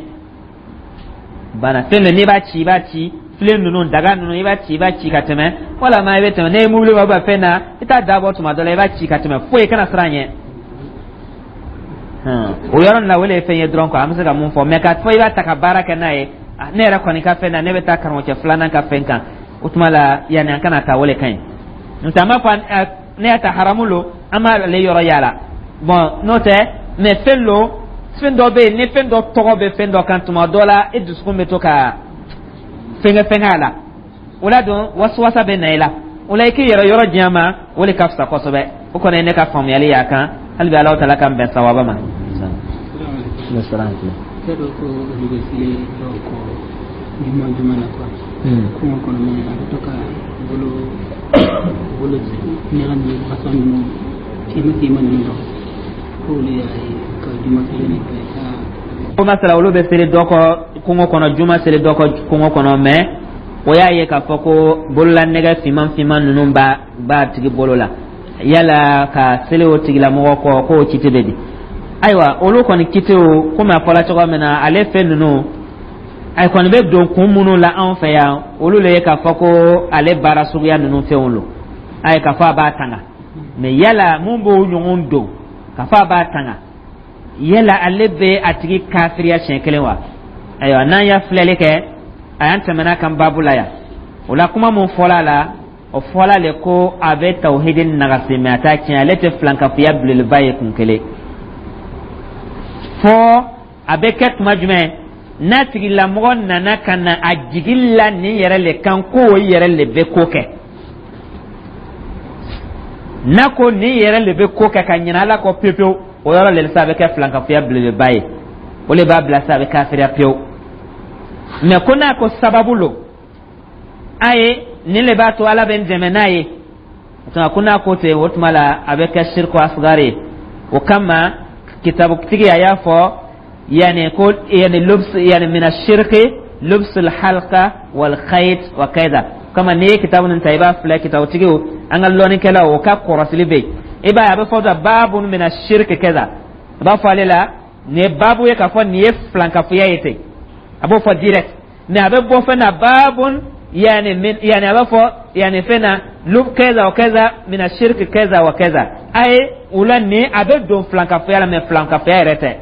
bana fɛn dɔ, n'i b'a ci, i b'a ci filen ninnu, daga ninnu, i b'a ci, i b'a ci ka tɛmɛ, walama i bɛ tɛmɛ ne ye mobili b'a fɛn na, i t'a dabɔ tuma dɔ la, i b'a ci ka tɛmɛ, foyi kana siran ɲɛ. O yɔrɔ nin la, o de ye fɛn ye dɔrɔn quoi, an bɛ se ka mun fɔ. Mɛ k'a fɔ i b'a ta ka baara kɛ n'a ye, ne yɛrɛ kɔni ka fɛn na, ne bɛ taa karamɔgɔcɛ filanan ka fɛn kan. O tuma la, yanni an kana taa, o le ka ɲi. N'o tɛ, an b'a fɔ ne y'a ta haramu lo, an b'ale yɔrɔ yaala. Bon, n'o tɛ, mais fɛn lo, fɛn dɔ bɛ yen, ni fɛn dɔ tɔgɔ bɛ fɛn dɔ kan, tuma dɔ la e dusukun bɛ to ka fɛnkɛ fɛnkɛ a la. O la don, wasuwasa bɛ na i la. O la, i k'i yɛrɛ yɔrɔ diɲɛ ma, o de ka fisa kosɛbɛ. O kɔni ye ne ka faamuyali y'a kan. Hali bi, Alahu taala k'an bɛn sawaba ma.
Cɛ dɔ ko olu bɛ seli dɔw kɔ juma juma la quoi, kungo kɔnɔ, mais a bɛ to ka bolo bolo nɛgɛ ni façon ninnu finma finma ninnu dɔn, k'olu y'a ye ka juma seli nin kɛ ka
Ko masala, olu bɛ seli dɔ kɔ kungo kɔnɔ, juma seli dɔ kɔ kungo kɔnɔ, mais o y'a ye k'a fɔ ko bololanɛgɛ finman finman ninnu b'a b'a tigi bolo la. Yala ka seli o tigilamɔgɔ kɔ, k'o kiti bɛ di? Ayiwa, olu kɔni kitiw, komi a fɔla cogoya min na, ale fɛn ninnu a kɔni bɛ don kun minnu la anw fɛ yan, olu le ye k'a fɔ ko ale baara suguya ninnu fɛnw lo. Ayi, k'a fɔ a b'a tanga, mais yala mun b'o ɲɔgɔn don k'a fɔ a b'a tanga, yala ale bɛ a tigi kafiriya siɲɛ kelen wa? Ayiwa, n'an y'a filɛli kɛ, a y'an tɛmɛna kan baabu la yan. O la, kuma mun fɔla a la, o fɔla le ko a bɛ tawhidi nagasi, mais a t'a tiɲɛ. Ale tɛ filankafoya belebeleba ye kun kelen. Fɔ a bɛ kɛ tuma jumɛn? N'a tigilamɔgɔ nana ka na a jigi la nin yɛrɛ le kan, ko o yɛrɛ le bɛ ko kɛ, n'a ko nin yɛrɛ le bɛ ko kɛ ka ɲinɛ Ala kɔ pewu pewu, o yɔrɔ le sa, a bɛ kɛ filankafoya belebeleba ye. O le b'a bila sa, a bɛ kafiriya pewu. Mais ko n'a ko sababu lo, a ye nin le b'a to Ala bɛ n dɛmɛ n'a ye, o tuma ko n'a ko ten, o tuma la a bɛ kɛ sirku asgari ye. O kama, kitabutigi a y'a fɔ yani ko yani lubs, yani min ashirki lubs alhalqa wal khayt wa kaida. Kama n'i ye kitabu nin ta, i b'a filɛ, kitabutigiw, an ka lɔnnikɛlaw, o ka kɔrɔsili bɛ yen. I b'a ye, a bɛ fɔ ta babu min ashirki kaza, a b'a fɔ ale la nin ye babu ye k'a fɔ nin ye filankafoya ye ten, a b'o fɔ direct. Mais a bɛ bɔ fɛn na, babun yani min, yani a b'a fɔ yani fɛn na lub kaza wa kaza min ashirki kaza wa kaza. A ye o la, nin a bɛ don filankafoya la, mais filankafoya yɛrɛ tɛ,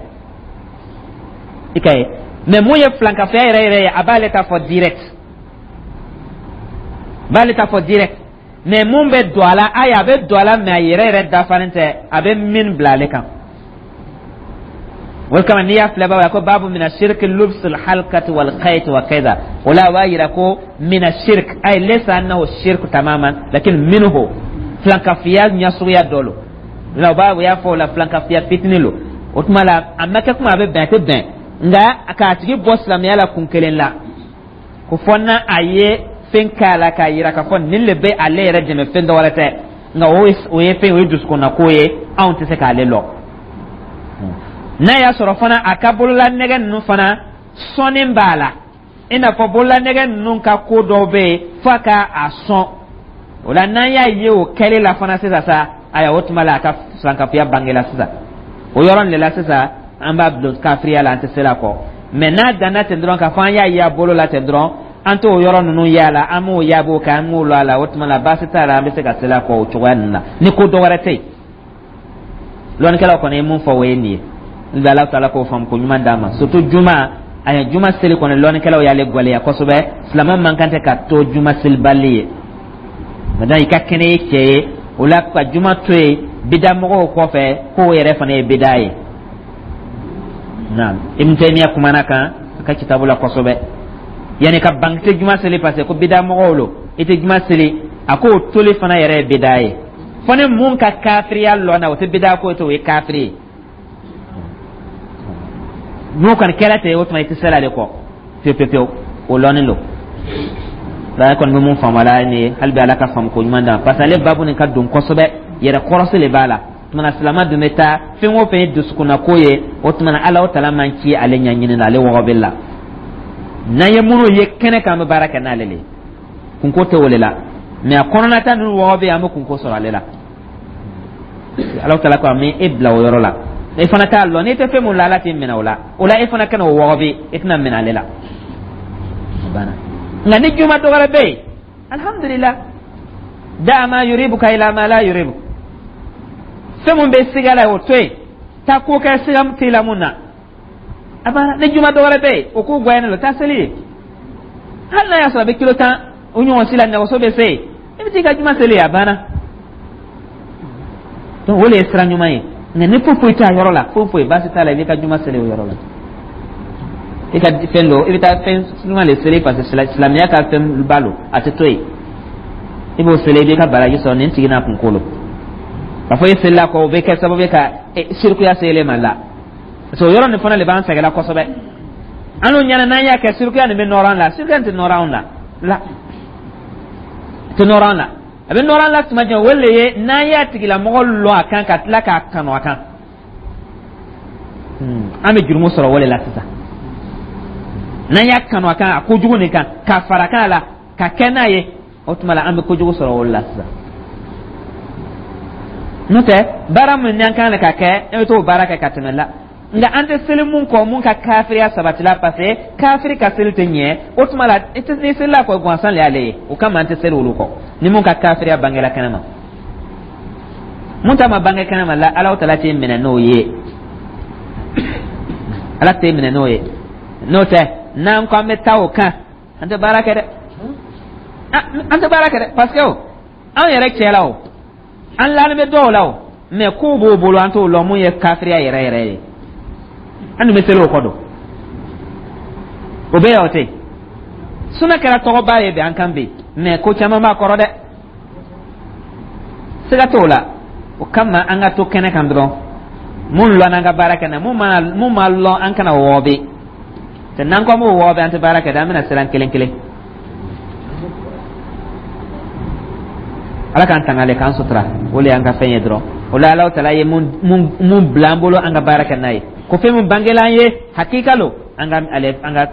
i ka ye. Mais mun ye filankafoya yɛrɛ yɛrɛ ye, a b'ale ta fɔ direct, b'ale ta fɔ direct. Mais mun bɛ don a la, ayi, a bɛ don a la, mais a yɛrɛ yɛrɛ dafalen tɛ, a bɛ min bila ale kan. O kama, n'i y'a filɛ, baba ko babu mina shirki lubs alhalqati wal khayt wa kaza, o la a b'a yira ko mina shirk, ay laysa annahu shirk tamaman, lakin minhu, filankafiya ɲɛsuguya dɔ lo la. O b'a, o y'a fɔ o la, filankafiya fitinin lo. O tuma la, a ma kɛ kuma a bɛ bɛn, a tɛ bɛn, nka k'a tigi bɔ silamɛya la kun kelen la, ko fɔ n'a a ye fɛn k'a la k'a yira k'a fɔ nin le bɛ ale yɛrɛ dɛmɛ, fɛn dɔ wɛrɛ tɛ. Nka o ye fɛn, o ye dusukunnako ye, anw tɛ se k'ale lɔ. N'a y'a sɔrɔ fana a ka bolola nɛgɛ ninnu fana sɔnni b'a la, i n'a fɔ bolola nɛgɛ ninnu ka ko dɔw bɛ yen f'a ka a sɔn o la, n'an y'a ye o kɛli la fana sisan sa, ayiwa, o tuma la a ka filankafoya bangela sisan. O yɔrɔ de la sisan, an b'a bila kafiriya la, an tɛ se la kɔ. Mais n'a danna ten dɔrɔn, k'a fɔ an y'a ye a bolo la ten dɔrɔn, an t'o yɔrɔ ninnu y'a la, an m'o yaab'o kan, an m'o lɔ a la, o tuma la baasi t'a la, an bɛ se ka seli a kɔ o cogoya ninnu na, ni ko dɔ wɛrɛ tɛ yen. Lɔnnikɛlaw kɔni ye mun fɔ, o ye nin ye. N bɛ Ala taala k'o faamu ko ɲuman d'a ma. Surtout juma, a ye juma seli kɔni, lɔnnikɛlaw y'ale gwɛlɛya kosɛbɛ. Silamɛ man kan tɛ ka to juma selibali ye. Maintenant, i ka kɛnɛ, ye cɛ ye, o la ka juma to yen bidamɔgɔw kɔfɛ, k'o yɛrɛ fana ye bida ye. Naam, Ibn Taymiya kumana kan a ka kitabu la kosɛbɛ, yani ka ban tɛ juma seli parce que ko bidamɔgɔw lo, i tɛ juma seli, a k'o toli fana yɛrɛ ye bida ye. Fo ni mun ka kafiriya lɔ na, o tɛ bida ko tɛ, o ye kafiri ye. N'o kɔni kɛra ten, o tuma i tɛ seli ale kɔ pewu pewu pewu. O lɔnnen don la. Kɔni bɛ mun faamu a la nin ye? Hali bi, Ala ka faamu ko ɲuman d'an, parce que ale babu nin ka don kosɛbɛ, yɛrɛ kɔrɔsi de b'a la. Tuma silamɛ dun bɛ taa fɛn o fɛn ye dusukunnako ye, o tuma Ala o tala man ci ale ɲɛɲini na, ale wɔgɔbɛ la. N'an ye minnu ye kɛnɛ kan, an bɛ baara kɛ n'ale le ye, kunko tɛ o de la. Mais a kɔnɔnata ninnu wɔgɔbɛ, an bɛ kunko sɔrɔ ale la. Ala tala ko a ma e bila o yɔrɔ la, e fana t'a lɔn. N'i tɛ fɛn mun la, Ala t'i minɛ o la. O la, e fana kana o wɔgɔbɛ, e tɛna minɛ ale la, a banna. Nka ni juma dɔ wɛrɛ bɛ yen, alhamdulillah, da ma yuribuka ila ma la yuribu, fɛn mun bɛ siga la, o to yen, taa ko kɛ siga t'i la mun na, a banna. Ni juma dɔ wɛrɛ bɛ yen, o k'o gɛlɛyalen don, taa seli ye, hali n'a y'a sɔrɔ a bɛ kilo tan. O ɲɔgɔn si la nɛgɛso bɛ se yen, i bɛ t'i ka juma seli, a banna. Donc o de ye sira ɲuman ye. Nka ni foyi foyi t'a yɔrɔ la, foyi foyi baasi t'a la, i b'i ka juma seli o yɔrɔ la. I ka fɛn dɔ, i bɛ taa fɛn ɲuman de seli, parce que silamɛya ka fɛn ba lo, a tɛ to yen. I b'o seli, i b'i ka baraji sɔrɔ nin tigi n'a kunkolo. K'a fɔ e selila kɔ, o bɛ kɛ sababu ye ka sirikuya se ele ma la, parce que o yɔrɔ nin fana de b'an sɛgɛnna kosɛbɛ. An n'o ɲɛna n'an y'a kɛ, sirikuya nin bɛ nɔrɔ an la. Sirikuya nin tɛ nɔrɔ anw la la, tɛ nɔrɔ an la. A bɛ nɔrɔ an la tuma jumɛn? O le ye n'an y'a tigilamɔgɔ lɔn a kan, ka tila k'a kanu a kan, an bɛ jurumu sɔrɔ o de la sisan. N'an y'a kanu a kan, a kojugu nin kan, ka fara kan la, ka kɛ n'a ye, o tuma la an bɛ kojugu sɔrɔ o de la sisan. N'o tɛ, baara min n'an kan ka kɛ, e bɛ t'o baara kɛ ka tɛmɛ la. Nka an tɛ seli mun kɔ, mun ka kafiriya sabatila, parce que kafiri ka seli tɛ ɲɛ. O tuma la i tɛ n'i selila kɔ gansan de y'ale ye. O kama an tɛ seli olu kɔ, ni mun ka kafiriya bangela kɛnɛ ma. Mun ta ma bange kɛnɛ ma la, Alahu tala t'e minɛ n'o ye, Ala t'e minɛ n'o ye. N'o tɛ, n'an ko an bɛ taa o kan, an tɛ baara kɛ dɛ, an tɛ baara kɛ dɛ, parce que o anw yɛrɛ cɛ la, o an lalen bɛ dɔw la o, mais kow b'o bolo, an t'o lɔn mun ye kafiriya yɛrɛ yɛrɛ ye. An dun bɛ seli o kɔ don, o bɛ yan, o tɛ yen. Suna kɛra tɔgɔba ye bi an kan bi, mais ko caman b'a kɔrɔ dɛ, siga t'o la. O kama an ka to kɛnɛ kan dɔrɔn, mun lɔn an ka baara kɛ na, mun ma mun ma lɔn, an kana wɔɔbɛ. N'an ko an b'o wɔɔbɛ, an tɛ baara kɛ dɛ, an bɛna siran kelen kelen. Ala k'an tanga ale k'an sutura, o de y'an ka fɛn ye dɔrɔn. O la Alahu tala ye mun mun bila an bolo, an ka baara kɛ n'a ye. Ko fɛn min bangela an ye, hakika lo, an ka ale an ka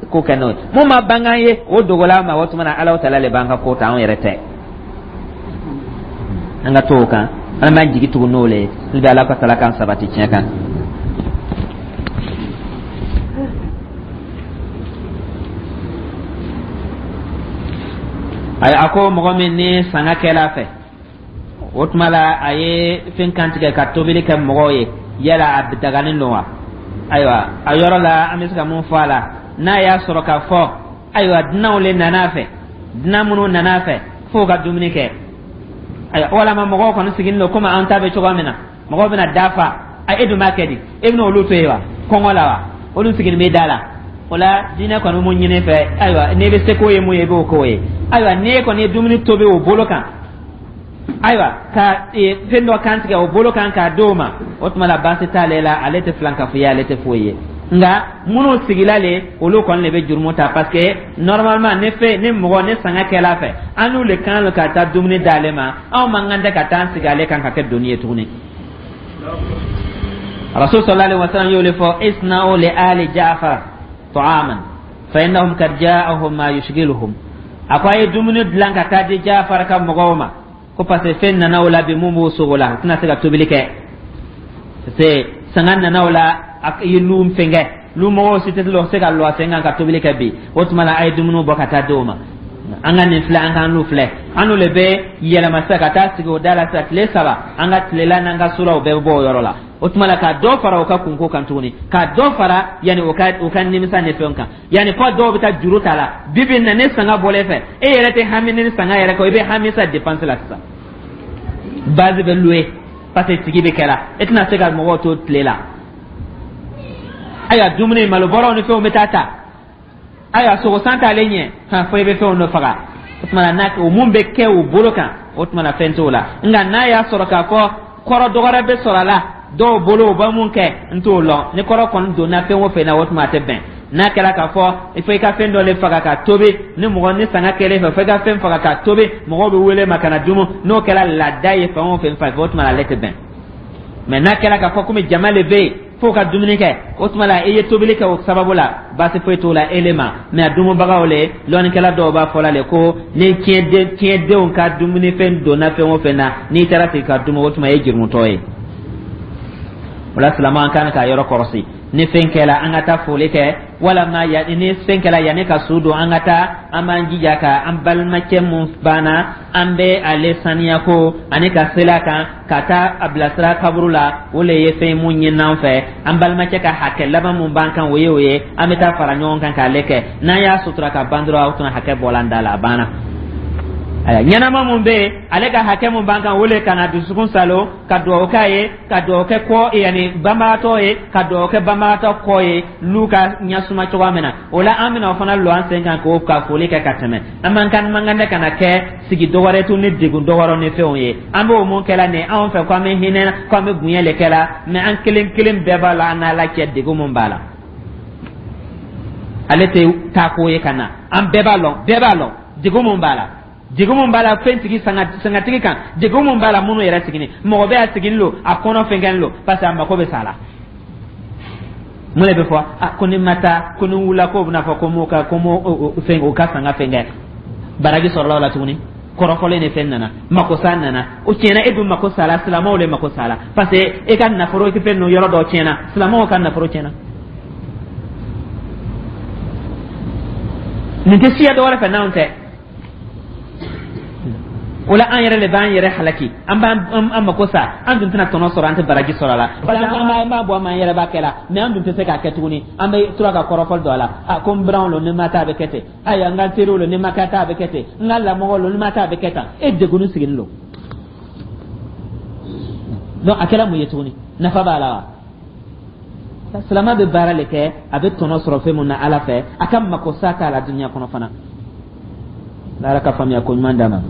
ko kɛ n'o ye. Mun ma bange an ye, o dogola an ma, o tuma na Alahu tala le b'an ka ko ta, anw yɛrɛ tɛ. An ka to o kan, an b'an jigi tugu n'o le ye. Hali bi Ala ka tala k'an sabati tiɲɛ kan. Ayi, a ko mɔgɔ min ni sanga kɛla fɛ, o tuma la a ye fɛn kantigɛ ka tobili kɛ mɔgɔw ye, yala a daganen don wa? Ayiwa, a yɔrɔ la an bɛ se ka mun fɔ a la? N'a y'a sɔrɔ k'a fɔ ayiwa dunanw le nana a fɛ, dunan minnu nana a fɛ f'o ka dumuni kɛ, ayiwa, walama mɔgɔw kɔni sigilen don komi an ta bɛ cogoya min na, mɔgɔw bɛna dafa, a e dun b'a kɛ di? E bɛna olu to yen wa? Kɔngɔ la wa? Olu sigilen bɛ da la. O la diinɛ kɔni mun ɲini fɛ, ayiwa, n'i bɛ se k'o ye mun ye, i b'o k'o ye. Ayiwa, n'e kɔni ye dumuni tobi o bolo kan, ayiwa, ka fɛn dɔ kan tigɛ o bolo kan k'a d'o ma, o tuma la baasi t'ale la, ale tɛ filankafoya ye, ale tɛ foyi ye. Nka minnu sigila le, olu kɔni de bɛ jurumu ta, parce que normalement ni fɛn ni mɔgɔ ni sanga kɛla fɛ, an n'u le kan ka taa dumuni d'ale ma, anw man kan tɛ ka taa an sigi ale kan ka kɛ doni ye tuguni. Rasul sallallahu alaihi wasallam y'o le fɔ: isna'u li ali Ja'far ta'aman fa innahum kad ja'ahum ma yushghiluhum. A ko a ye dumuni dilan ka taa di Ja'far ka mɔgɔw ma, ko parce que fɛn nana o la bi mun b'o sogo la, u tɛna se ka tobili kɛ, parce que sanga nana o la, a ye lu fɛnkɛ, lu mɔgɔw si tɛ se ka lɔ a sen kan ka tobili kɛ bi. O tuma la a ye dumuniw bɔ ka taa di o ma. An ka nin filɛ, an k'an n'u filɛ, an n'u le bɛ yɛlɛma sisan ka taa sigi o da la sisan tile saba, an ka tilela n'an ka suraw bɛɛ bɛ bɔ o yɔrɔ la. O tuma la ka dɔ fara o ka kunko kan tuguni, ka dɔ fara yanni o ka o ka nimisa ni fɛnw kan, yanni fɔ dɔw bɛ taa juru ta la. Bi bi in na, ni sanga bɔlen fɛ, e yɛrɛ tɛ hami ni sanga yɛrɛ kɔ, i bɛ hami sa dépense la sisan. Base bɛ louer parce que sigi bɛ kɛra, e tɛna se ka mɔgɔw to tile la. Ayiwa, dumuni malobɔrɔw ni fɛnw bɛ taa ta, ayiwa, sogosan t'ale ɲɛ han, fo i bɛ fɛnw dɔ faga. O tuma na n'a o mun bɛ kɛ o bolo kan, o tuma na fɛn t'o la. Nka n'a y'a sɔrɔ k'a fɔ kɔrɔ dɔ wɛrɛ bɛ sɔrɔ a la dɔw bolo, u bɛ mun kɛ, n t'o lɔn. Ni kɔrɔ kɔni donna fɛn o fɛn na, o tuma a tɛ bɛn. N'a kɛra k'a fɔ fo i ka fɛn dɔ le faga ka tobi, ni mɔgɔ ni sanga kɛlen fɛ, fo i ka fɛn faga ka tobi, mɔgɔw bɛ wele ma ka na dumu, n'o kɛra laada ye fɛn o fɛn fɛ, o tuma ale tɛ bɛn. Mɛ n'a kɛra k'a fɔ komi jama le bɛ yen f'o ka dumuni kɛ, o tuma la i ye tobili kɛ o sababu la, baasi foyi t'o la ele ma. Mɛ a dumubagaw le, lɔnnikɛla dɔw b'a fɔ la le ko ni tiɲɛden tiɲɛdenw ka dumunifɛn donna fɛn o fɛn na, n'i taara sigi ka dumu, o tuma e ye jurumutɔ ye. O la silamɛ, an kan k'a yɔrɔ kɔlɔsi. Ni fɛn kɛla, an ka taa foli kɛ, walama ya ni fɛn kɛla yanni ka su don, an ka taa, an b'an jija ka an balimacɛ mun banna, an bɛ ale saniya ko ani ka seli a kan ka taa a bilasira kaburu la. O le ye fɛn mun ɲini an fɛ, an balimacɛ ka hakɛ laban mun b'an kan, o ye o ye, an bɛ taa fara ɲɔgɔn kan k'ale kɛ. N'an y'a sutura ka ban dɔrɔn, o tuma hakɛ bɔla an da la, a banna. Aya ɲɛnama mun bɛ yen, ale ka hakɛ mun b'an kan, o le ka na dusukun salo ka dugawu k'a ye, ka dugawu kɛ kɔ yanni banbagatɔ ye, ka dugawu kɛ banbagatɔ kɔ ye n'u ka ɲɛsuma cogoya min na. O la an bɛna o fana lɔ an sen kan k'o ka foli kɛ ka tɛmɛ. An man kan man kan tɛ ka na kɛ sigi dɔwɛrɛ tun ni degun dɔwɛrɛ ni fɛnw ye. An b'o mun kɛla nin anw fɛ ko an bɛ hinɛ, ko an bɛ bonya le kɛla, mɛ an kelen kelen bɛɛ b'a la an n'Ala cɛ degun mun b'a la. Ale tɛ taa ko ye ka na, an bɛɛ b'a lɔn, bɛɛ b'a lɔn degun mun b'a la, degun mun b'a la fɛntigi sangatigi kan, degun mun b'a la minnu yɛrɛ sigini, mɔgɔ bɛ a sigini lo a kɔnɔ fɛnkɛni lo parce que a mako bɛ sa la. Mun de bɛ fɔ a ko ni ma taa, ko ni wula k'o bɛna fɔ ko m'o ka ko m'o fɛn o ka sanga fɛnkɛ baraji sɔrɔla o la tuguni. Kɔrɔfɔlen ni fɛn nana, makosa nana, o tiɲɛna, e dun mako sala, silamɛw de mako sala parce que e ka nafolo fɛn ninnu yɔrɔ dɔ tiɲɛna, silamɛw ka nafolo tiɲɛna. Nin tɛ siya dɔ wɛrɛ fɛ n'anw tɛ. O la an yɛrɛ de b'an yɛrɛ halaki, an b'an an mako sa, an dun tɛna tɔnɔ sɔrɔ, an tɛ baraji sɔrɔ a la parce que an b'a b'a bɔ an yɛrɛ b'a kɛ la, mɛ an dun tɛ se k'a kɛ tuguni. An bɛ tora ka kɔrɔfɔli don a la, a ko n biranw lo ni ma taa a bɛ kɛ ten, ayiwa n ka teriw lo ni ma taa a bɛ kɛ ten, n ka lamɔgɔw lo ni ma taa a bɛ kɛ tan, e degunni sigilen don. Donc a kɛra mun ye tuguni? Nafa b'a la wa? Silamɛ bɛ baara le kɛ, a bɛ tɔnɔ sɔrɔ fɛn mun na Ala fɛ, a ka mako sa t'a la dunuya kɔnɔ fana. Ala ka faamuya ko ɲuman d'a ma.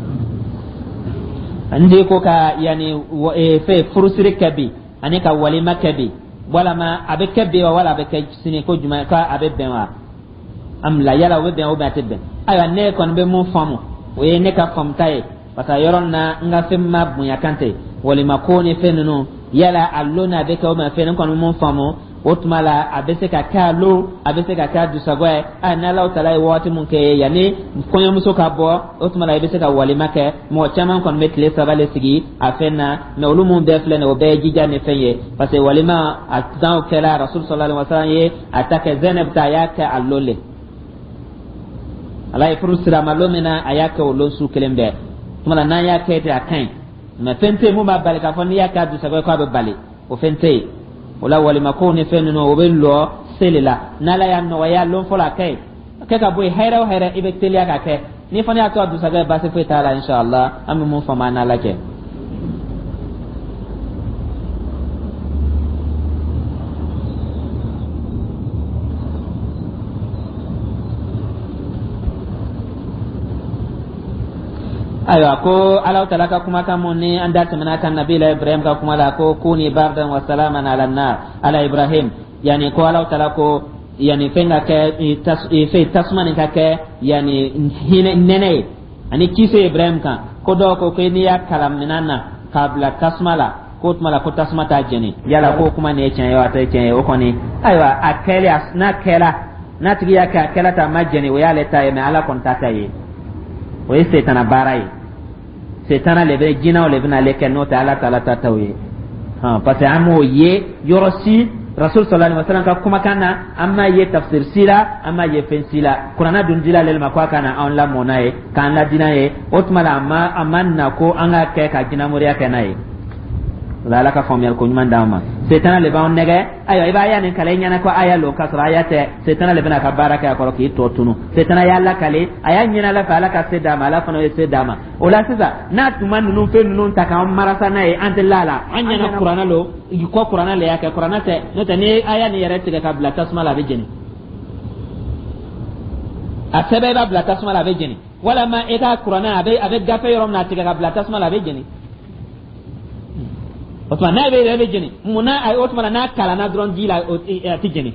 N ko ka yani fɛn furusiri kɛ bi ani ka walima kɛ bi, walama a bɛ kɛ bi wa wala a bɛ kɛ sini, ko jumɛn ko a bɛ bɛn wa? An bila yala o bɛ bɛn o bɛn a tɛ bɛn. Ayiwa ne kɔni bɛ mun faamu, o ye ne ka faamuta ye parce que yɔrɔ na n ka fɛn ma bonya kan tɛ walima ko ni fɛn ninnu yala a lon n'a bɛ kɛ o ma fɛn, ne kɔni bɛ mun faamu o tuma la a bɛ se ka kɛ a lon, a bɛ se ka kɛ a dusagɔ ye. A n'Ala taala ye waati mun kɛ yanni kɔɲɔmuso ka bɔ, o tuma la i bɛ se ka walima kɛ. Mɔgɔ caman kɔni bɛ tile saba de sigi a fɛn na, mɛ olu mun bɛɛ filɛ nin ye o bɛɛ ye jija ni fɛn ye parce que walima a danw kɛla Rasul sallallahu alaihi wasallam ye a ta kɛ Zainab ta, a y'a kɛ a lon le. Ala ye furu sira ma lon min na, a y'a kɛ o lon su kelen bɛɛ. Tuma la n'an y'a kɛ ten a ka ɲi, mɛ fɛn tɛ yen mun b'a bali k'a fɔ n'i y'a kɛ a dusagɔ ye k'a bɛ bali, o fɛn tɛ yen. O la walima ko ni fɛn ninnu o bɛ lɔ seli la, n'Ala y'a nɔgɔya lon fɔlɔ a kɛ yen kɛ ka bɔ yen, hɛrɛ o hɛrɛ i bɛ teliya ka kɛ. Ni fana y'a to a dusakɛ ye baasi foyi t'a la inshallah. An bɛ mun faamu an n'Ala cɛ. Ayiwa ko Ala taala ka kumakan mun ni an da tɛmɛna kan nabila Ibrahim ka kuma la, ko kuni bardan wa salaman ala nar ala Ibrahim, yani ko Ala taala ko yani fɛn ka kɛ fɛn tasuma nin ka kɛ yani hinɛ nɛnɛ ye ani kisi Ibrahim kan. Ko dɔw ko ko n'i y'a kalan minɛn na k'a bila tasuma la k'o tuma la ko tasuma t'a jeni, yala k'o kuma nin ye tiɲɛ ye wa a tɛ tiɲɛ ye? O kɔni ayiwa a kɛlen n'a kɛla n'a tigi y'a kɛ a kɛla ta a ma jeni, o y'ale ta ye, mɛ Ala kɔni t'a ta ye. O ye setana baara ye, setana le bɛ jinɛw le bɛna ale kɛ, n'o tɛ Ala taala ta t'o ye. Hɔn parce que an m'o ye yɔrɔ si Rasul sallallahu alaihi wasallam ka kumakan na, an m'a ye tafsir si la, an m'a ye fɛn si la. Kuranna dun dila ale ma ko a ka na anw lamɔ n'a ye, k'an ladi n'a ye. O tuma la a ma a ma na ko an ka kɛ ka jinɛmoriya kɛ n'a ye. O la Ala ka faamuyali ko ɲuman d'an ma. Setana le b'anw nɛgɛ, ayiwa i b'a ya nin kalan i ɲɛna ko aya lo, k'a sɔrɔ aya tɛ. Setana le bɛna ka baara kɛ a kɔrɔ k'i tɔ tunu. Setana y'a lakale, a y'a ɲini Ala fɛ, Ala ka se d'a ma, Ala fana ye se d'a ma. O la sisan n'a tun ma ninnu fɛn ninnu ta k'an marasa n'a ye, an tɛ la la an ɲɛna kuranna lo kɔ, kuranna le y'a kɛ, kuranna tɛ. N'o tɛ n'i ye aya nin yɛrɛ tigɛ ka bila tasuma la a bɛ jeni, a sɛbɛn i b'a bila tasuma la a bɛ jeni, walima i ka kuranna a bɛ a bɛ gafe yɔrɔ min na a tigɛ ka bila tasuma la a bɛ jeni. O tuma n'a bɛ yɛrɛ bɛ jeni munna? O tuma n'a kalanna dɔrɔn ji la a tɛ jeni.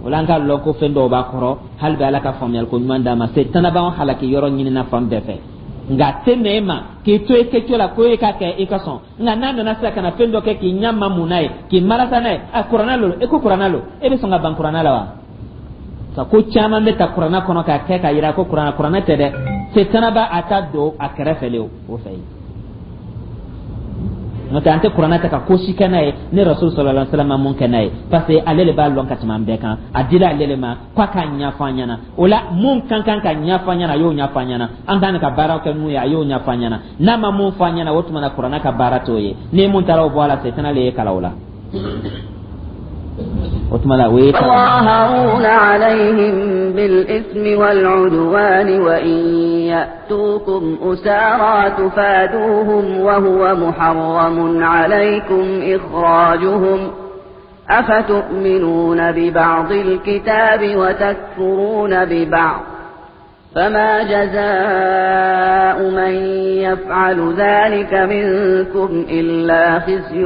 O la an ka lɔn ko fɛn dɔw b'a kɔrɔ, hali bi Ala ka faamuyali ko ɲuman d'a ma. Setana b'anw halaki yɔrɔ ɲinina fan bɛɛ fɛ, nka a tɛ nɛ e ma k'i to e kɛcogo la ko e k'a kɛ i ka sɔn. Nka n'a nana sisan ka na fɛn dɔ kɛ k'i ɲɛ ma mun n'a ye, k'i marasa n'a ye, a kuranna lo, e ko kuranna lo, e bɛ sɔn ka ban kuranna la wa? Ka ko caman bɛ ta kuranna kɔnɔ k'a kɛ k'a yira ko kuranna kuranna tɛ dɛ. Setana b'a a ta don a kɛrɛfɛ le o fɛ yen. N'o tɛ an tɛ kuranna ta ka ko si kɛ n'a ye ni Rasul sallallahu alaihi wasallam ma mun kɛ n'a ye, parce que ale de b'a lɔn ka tɛmɛ an bɛɛ kan. A dila ale de ma k'a k'a ɲɛfɔ an ɲɛna. O la mun kan kan ka ɲɛfɔ an ɲɛna, a y'o ɲɛfɔ an ɲɛna. An kan ka baara kɛ mun ye, a y'o ɲɛfɔ an ɲɛna. N'a ma mun fɔ an ɲɛna, o tuma na kuranna ka baara t'o ye. Ni mun taara o bɔ a la, setana le ye kalan o la. O tuma la, o ye
يتظاهرون عليهم بالإثم والعدوان وإن يأتوكم أسارى تفادوهم وهو محرم عليكم إخراجهم أفتؤمنون ببعض الكتاب وتكفرون ببعض فما جزاء من يفعل ذلك منكم إلا خزي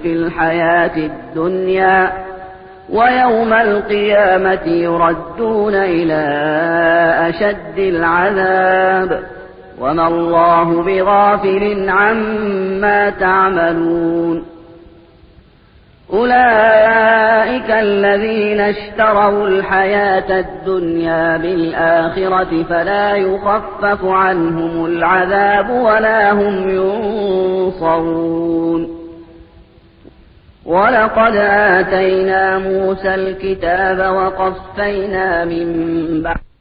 في الحياة الدنيا ويوم القيامة يردون إلى أشد العذاب وما الله بغافل عما تعملون أولئك الذين اشتروا الحياة الدنيا بالآخرة فلا يخفف عنهم العذاب ولا هم ينصرون ولقد آتينا موسى الكتاب وقفينا من بعد